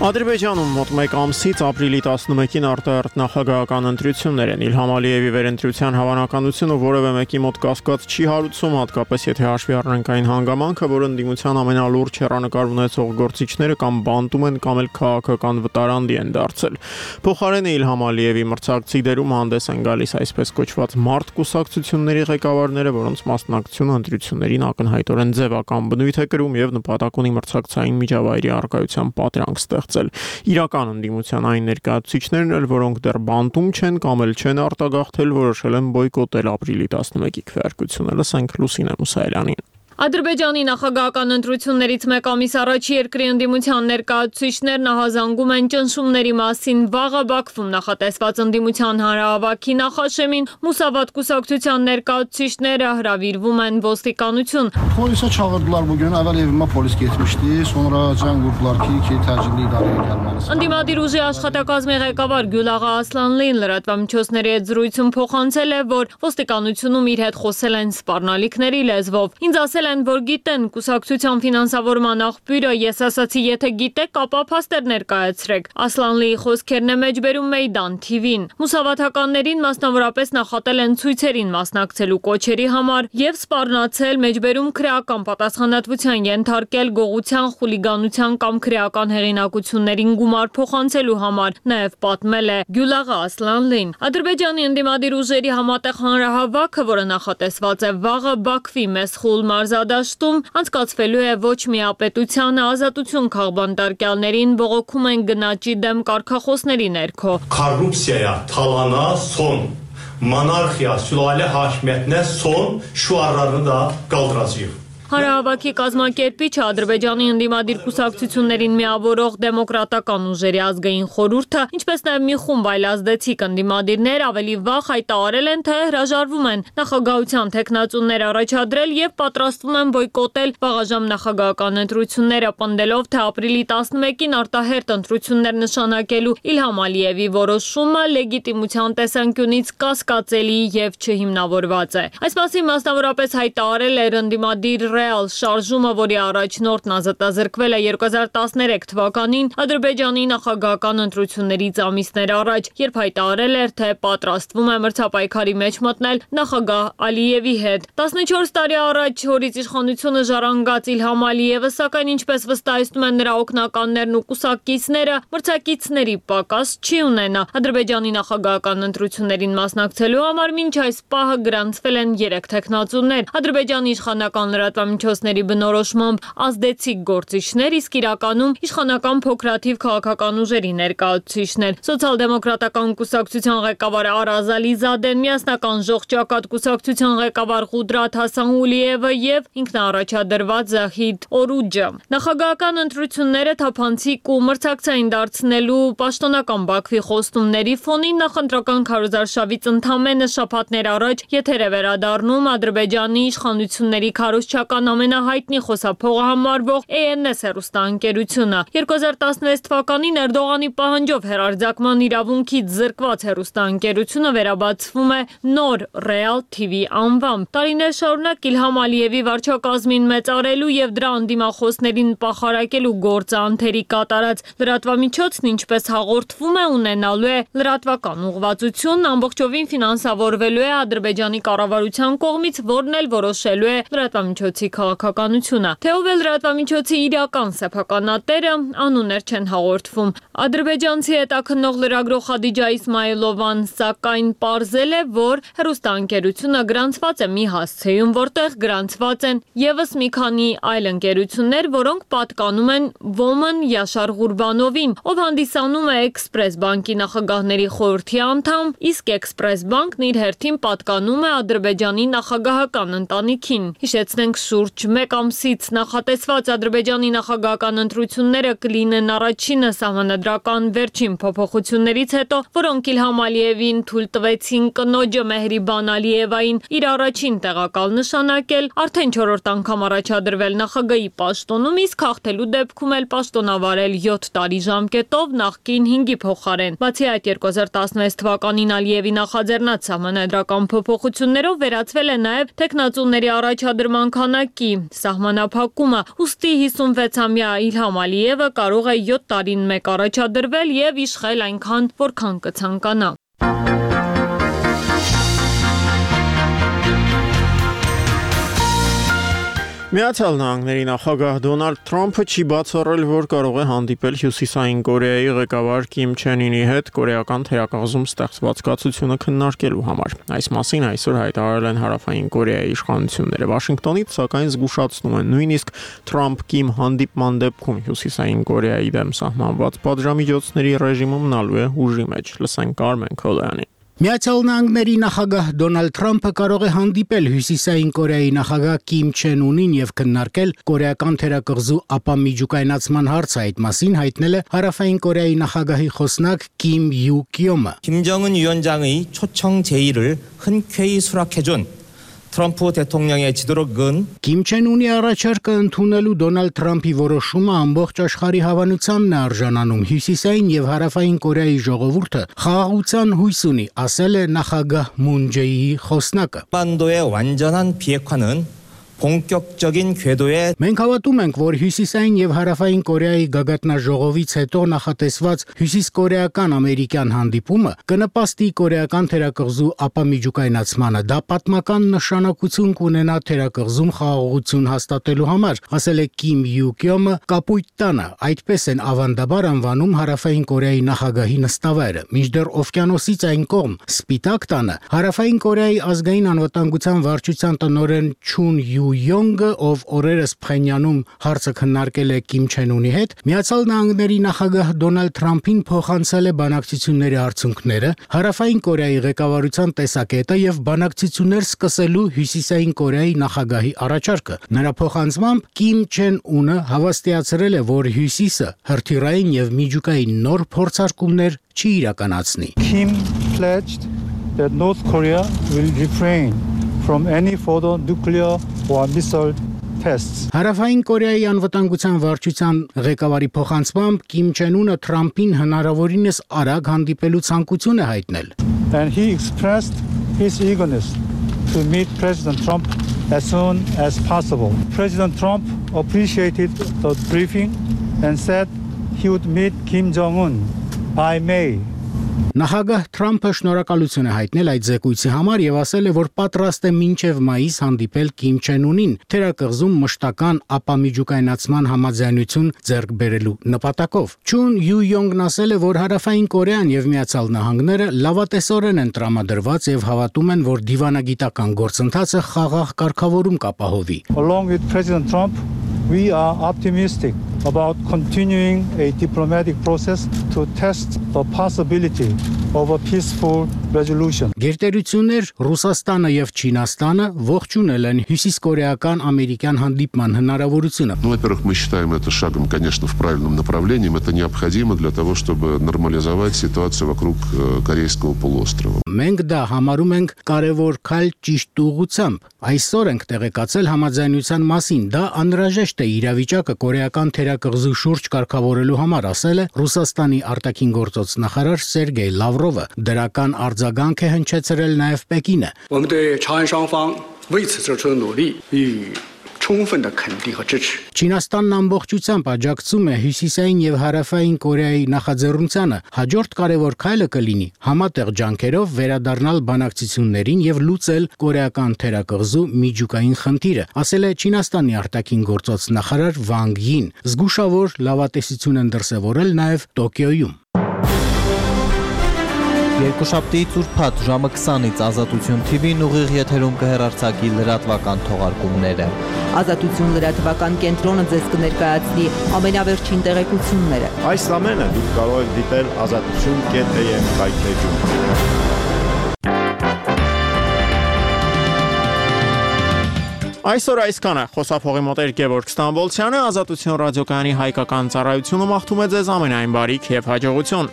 Ադրբեջանում մոտ 1 ամսից ապրիլի 11-ին արտահերթ նախագահական ընտրություններ են։ Իլհամ Ալիևի վերընտրության հավանականությունը որևէ մեկի մոտ կասկած չի հարուցում, հատկապես եթե հաշվի առնենք այն հանգամանքը, որ ընդդիմության ամենալուրջ հեռանկար ունեցող գործիչները կամ բանտում են կամ էլ քաղաքական վտարանդի են դարձել։ Փոխարենը Իլհամ Ալիևի մրցակցի դերում հանդես են գալիս այսպես կոչված մարդ կուսակցությունների ղեկավարները, որոնց մասնակցությունը ընտրություններին ակնհայտորեն ձևական բնույթ է կրում եւ նպատակ ունի մրցակցային միջավայրի առկայության պատրանք ստեղծել։ Իրական ընդդիմության այն ներկայացուցիչներն էլ, որոնք դեռ բանտում չեն կամ էլ չեն արտագաղթել, որոշել են բոյկոտել ապրիլի 11-ի քվեարկությունը։ Լսենք Լուսինե Մուսայելյանին։ Ադրբեջանի նախագահական ընտրություններից մեկ ամիս առաջ երկրի ընդդիմության ներկայացուցիչներն ահազանգում են ճնշումների մասին վաղը Բաքվում նախատեսված ընդդիմության հանրահավաքի նախաշեմին Մուսավատ կուսակցության ներկայացուցիչները հրավիրվում են ոստիկանություն։ Polise çağırdılar bugün. Evvel evime polis getmişti. Sonra can vurdular ki təcilli idarəyə gəlməlisən։ Ընդդիմադիր ուժի աշխատակազմի ղեկավար Գյուլաղա Ասլանլին լրատվամիջոցների հետ զրույցում փոխանցել է, որ ոստիկանությունում իր հետ խոսել են սպառնալիքների լեզվով։ Ինձ ասել են, որ գիտեն կուսակցության ֆինանսավորման աղբյուրը, ես ասացի, եթե գիտեք, ապա փաստեր ներկայացրեք։ Ասլանլիի խոսքերն է մեջբերում Մեյդան TV-ին։ Մուսավաթականներին մասնավորապես նախատել են ցույցերին մասնակցելու կոչերի համար եւ սպառնացել, մեջբերում քրեական պատասխանատվության ենթարկել գողության, խուլիգանության կամ քրեական հեղինակություններին գումար փոխանցելու համար, նաեւ պատմել է Գյուլաղա Ասլանլին։ Ադրբեջանի ընդդիմադիր ուժերի համատեղ հանրահավաքը, որը նախատեսված է վաղը Բաքվի Մեսխուլ մարզադաշտում, անցկացվելու է ոչ միապետությանը, ազատություն քաղբանտարկյալներին բողոքում են գնաճի դեմ կարգախոսների ներքո։ Korrupsiyaya, talana son, monarxiya, sülalə hakimiyyətinə son şüarlarını da qaldıracağıq։ Հանրահավաքի կազմակերպիչը Ադրբեջանի ընդդիմադիր կուսակցություններին միավորող դեմոկրատական ուժերի ազգային խորհուրդը, ինչպես նաև մի խումբ այլ ազդեցիկ ընդդիմադիրներ ավելի վաղ հայտարարել են, թե հրաժարվում են նախագահության թեկնածուներ առաջադրել եւ պատրաստվում են բոյկոտել վաղաժամ նախագահական ընտրությունները, պնդելով, թե ապրիլի 11-ին արտահերթ ընտրություններ նշանակելու Իլհամ Ալիևի որոշումը լեգիտիմության տեսանկյունից կասկածելի եւ չհիմնավորված է։ Այս մասին մասնավորապես հայտարարել էր ընդդիմադիր Real շարժումը, որի առաջնորդն ազատազրկվել է 2013 թվականին Ադրբեջանի նախագահական ընտրություններից ամիսներ առաջ, երբ հայտարարել էր, թե պատրաստվում է մրցապայքարի մեջ մտնել նախագահ Ալիևի հետ։ 14 տարի առաջ հորից իշխանությունը ժառանգած Իլհամ Ալիևը, սակայն ինչպես վստահեցնում են նրա օգնականներն ու կուսակիցները, մրցակիցների պակաս չի ունենա։ Ադրբեջանի նախագահական ընտրություններին մասնակցելու համար մինչ այս պահը գրանցվել են 3 թեկնածուներ։ Ադրբեջանի իշխանական լրատվամիջոցների բնորոշմամբ ազդեցիկ գործիչներ, իսկ իրականում իշխանական փոքրաթիվ քաղաքական ուժերի ներկայացուցիչներ։ Սոցիալ-դեմոկրատական կուսակցության ղեկավար Արազ Ալիզադեն, միասնական ժողջակատ կուսակցության ղեկավար Ղուդրաթ Հասանուլիևը եւ ինքնաառաջադրված Զահիդ Օրուջը։ Նախագահական ընտրությունները թափանցիկ ու մրցակցային դարձնելու պաշտոնական Բաքվի խոստումների ֆոնին նախընտրական քարոզարշավից ընդամենը շաբաթներ առաջ եթեր է վերադառնում Ադրբեջանի իշխանությունների քարոզչական ամենահայտնի խոսափողը համարվող ANS հեռուստաընկերությունը։ 2016 թվականին Էրդողանի պահանջով հեռարձակման իրավունքից զրկված հեռուստաընկերությունը վերաբացվում է նոր Real TV անվամբ։ Տարիներ շարունակ Իլհամ Ալիևի վարչակազմին մեծարելու եւ դրա անդիմախոսներին պախարակելու գործը անթերի կատարած լրատվամիջոցն ինչպես հաղորդվում է ունենալու է լրատվական ուղղվածություն, ամբողջովին ֆինանսավորվելու է Ադրբեջանի կառավարության կողմից, որն էլ որոշելու է լրատվամիջոցի քաղաքականությունը։ Թե ով է լրատվամիջոցի իրական սեփականատերը, անուններ չեն հաղորդվում։ Ադրբեջանցի հետաքննող լրագրող Խադիջա Իսմայիլովան սակայն պարզել է, որ հեռուստաընկերությունը գրանցված է մի հասցեում, որտեղ գրանցված են եւս մի քանի այլ ընկերություններ, որոնք պատկանում են Ոմն Յաշար Ղուրբանովին, ով հանդիսանում է Էքսպրես բանկի նախագահների խորհրդի անդամ, իսկ Էքսպրես բանկն իր հերթին պատկանում է Ադրբեջանի նախագահական ընտանիքին։ Հիշեցնենք, շուրջ 1 ամսից նախատեսված Ադրբեջանի նախագահական ընտրությունները կլինեն առաջինը սահմանադրական վերջին փոփոխություններից հետո, որոնք Իլհամ Ալիևին թույլ տվեցին կնոջը Մեհրիբան Ալիևային իր առաջին տեղակալ նշանակել, արդեն 4-րդ անգամ առաջադրվել նախագահի պաշտոնում, իսկ հաղթելու դեպքում էլ պաշտոնավարել 7 տարի ժամկետով նախկին 5-ի փոխարեն։ Բացի այդ 2016 թվականին Ալիևի նախաձեռնած սահմանադրական փոփոխություններով վերացվել է նաև տեխնացուների առաջադրման քանակի սահմանափակումը, ուստի 56-ամյա Իլհամ Ալիևը կարող է 7 տարին մեկ առաջադրվել եւ իշխել այնքան, որքան կցանկանա։ Միացյալ Նահանգների նախագահ Դոնալդ Թրամփը չի բացառել, որ կարող է հանդիպել Հյուսիսային Կորեայի ղեկավար Կիմ Չեն Ինի հետ կորեական թերակղզում ստեղծված կացությունը քննարկելու համար։ Այս մասին այսօր հայտարարել են Հարավային Կորեայի իշխանությունները։ Վաշինգտոնից սակայն զգուշացնում են, նույնիսկ Թրամփ-Կիմ հանդիպման դեպքում Հյուսիսային Կորեայի դեմ սահմանված պատժամիջոցների ռեժիմը մնալու է ուժի մեջ։ Լսենք Արմեն Քոլոյանին։ Միացյալ Նահանգների նախագահ Դոնալդ Թրամփը կարող է հանդիպել Հյուսիսային Կորեայի նախագահ Կիմ Չեն Ունին եւ քննարկել կորեական թերակղզու ապամիջուկայնացման հարցը։ Այդ մասին հայտնել է Հարավային Կորեայի նախագահի խոսնակ Կիմ Յու Կյոմը։ 김정은 위원장의 초청 제의를 흔쾌히 수락해준 트럼프 대통령의 지도력은 Կիմ Չեն Ունի առաջարկը ընդունելու Դոնալդ Թրամփի որոշումը ամբողջ աշխարհի հավանությանն է արժանանում։ Հյուսիսային եւ Հարավային Կորեայի ժողովուրդը խաղաղության հույս ունի, ասել է նախագահ Մուն Ջեիի խոսնակը։ 한반도의 완전한 비핵화는 본격적인 궤도에 Մենք հավատում ենք, որ Հյուսիսային եւ Հարավային Կորեայի գագաթնաժողովից հետո նախատեսված հյուսիսկորեական ամերիկյան հանդիպումը կնպաստի կորեական թերակղզու ապամիջուկայնացմանը։ Դա պատմական նշանակություն կունենա թերակղզում խաղաղություն հաստատելու համար, ասել է Կիմ Յու Կյոմը կապույտ տանը։ Այդպես են ավանդաբար անվանում Հարավային Կորեայի նախագահի նստավայրը։ Մինչդեռ օվկիանոսից այն կողմ Սպիտակ տանը Հարավային Կորեայի ազգային անվտանգության վարչության տնօրեն Չուն Յու Յոնգը, ով օրերս Փխենյանում հարցը քննարկել է Կիմ Չեն Ունի հետ, Միացյալ Նահանգների նախագահ Դոնալդ Թրամփին փոխանցել է բանակցությունների արդյունքները, Հարավային Կորեայի ղեկավարության տեսակետը եւ բանակցություններ սկսելու Հյուսիսային Կորեայի նախագահի առաջարկը։ Նրա փոխանցմամբ Կիմ Չեն Ունը հավաստիացրել է, որ Հյուսիսը հրթիռային եւ միջուկային նոր փորձարկումներ չի իրականացնի։ Kim pledged that North Korea will refrain from any further nuclear or missile tests. Հարավային Կորեայի անվտանգության վարչության ղեկավարի փոխանցմամբ Կիմ Չեն Ունը Թրամփին հնարավորինս արագ հանդիպելու ցանկություն է հայտնել։ And he expressed his eagerness to meet President Trump as soon as possible. President Trump appreciated the briefing and said he would meet Kim Jong-un by May. Նախագահ Թրամփը շնորհակալություն է հայտնել այդ զեկույցի համար եւ ասել է, որ պատրաստ է մինչեւ մայիս հանդիպել Կիմ Չեն Ունին թերակղզում մշտական ապամիջուկայնացման համաձայնություն ձեռք բերելու նպատակով։ Չուն Յու Յոնգն ասել է, որ Հարավային Կորեան եւ Միացյալ Նահանգները լավատեսորեն են տրամադրված եւ հավատում են, որ դիվանագիտական գործընթացը խաղաղ կարգավորում կապահովի։ Along with President Trump, we are optimistic about continuing a diplomatic process to test the possibility of a peaceful resolution. Գերտերություններ Ռուսաստանը եւ Չինաստանը ողջունել են հյուսիսկորեական ամերիկյան հանդիպման հնարավորությունը։ Ну, во-первых, мы считаем это шагом, конечно, в правильном направлении. Это необходимо для того, чтобы нормализовать ситуацию вокруг Корейского полуострова. Մենք դա համարում ենք կարևոր քայլ ճիշտ ուղղությամբ։ Այսօր ենք տեղեկացել համաձայնության մասին։ Դա անհրաժեշտ է իրավիճակը կորեական թերակղզու շուրջ կարգավորելու համար, ասել է Ռուսաստանի արտաքին գործոց նախարար Սերգեյ Լավրովը։ Դրական արձագանք է հնչեցրել նաև Պեկինը։ Չինաստանն ամբողջությամբ աջակցում է Հյուսիսային եւ Հարավային Կորեայի նախաձեռնությանը։ Հաջորդ կարևոր քայլը կլինի համատեղ ջանքերով վերադառնալ բանակցություններին եւ լուծել կորեական թերակղզու միջուկային խնդիրը, ասել է Չինաստանի արտաքին գործոց նախարար Վանգ Յին։ Զգուշավոր լավատեսություն են դրսևորել նաև Տոկիոյում։ Երկուշաբթիից ուրբաթ ժամը 20-ից Ազատություն TV-ն ուղիղ եթերում կհեռարձակի լրատվական թողարկումները։ Ազատություն լրատվական կենտրոնը ձեզ կներկայացնի ամենավերջին տեղեկությունները։ Այս ամենը դուք կարող եք դիտել azatutun.am կայքէջում։ Այսօր այսքանը խոսափողի մոտ Գևորգ Ստամբոլցյանը, Ազատություն ռադիոկայանի հայկական ծառայությունը մաղթում է ձեզ ամենայն բարիք եւ հաջողություն։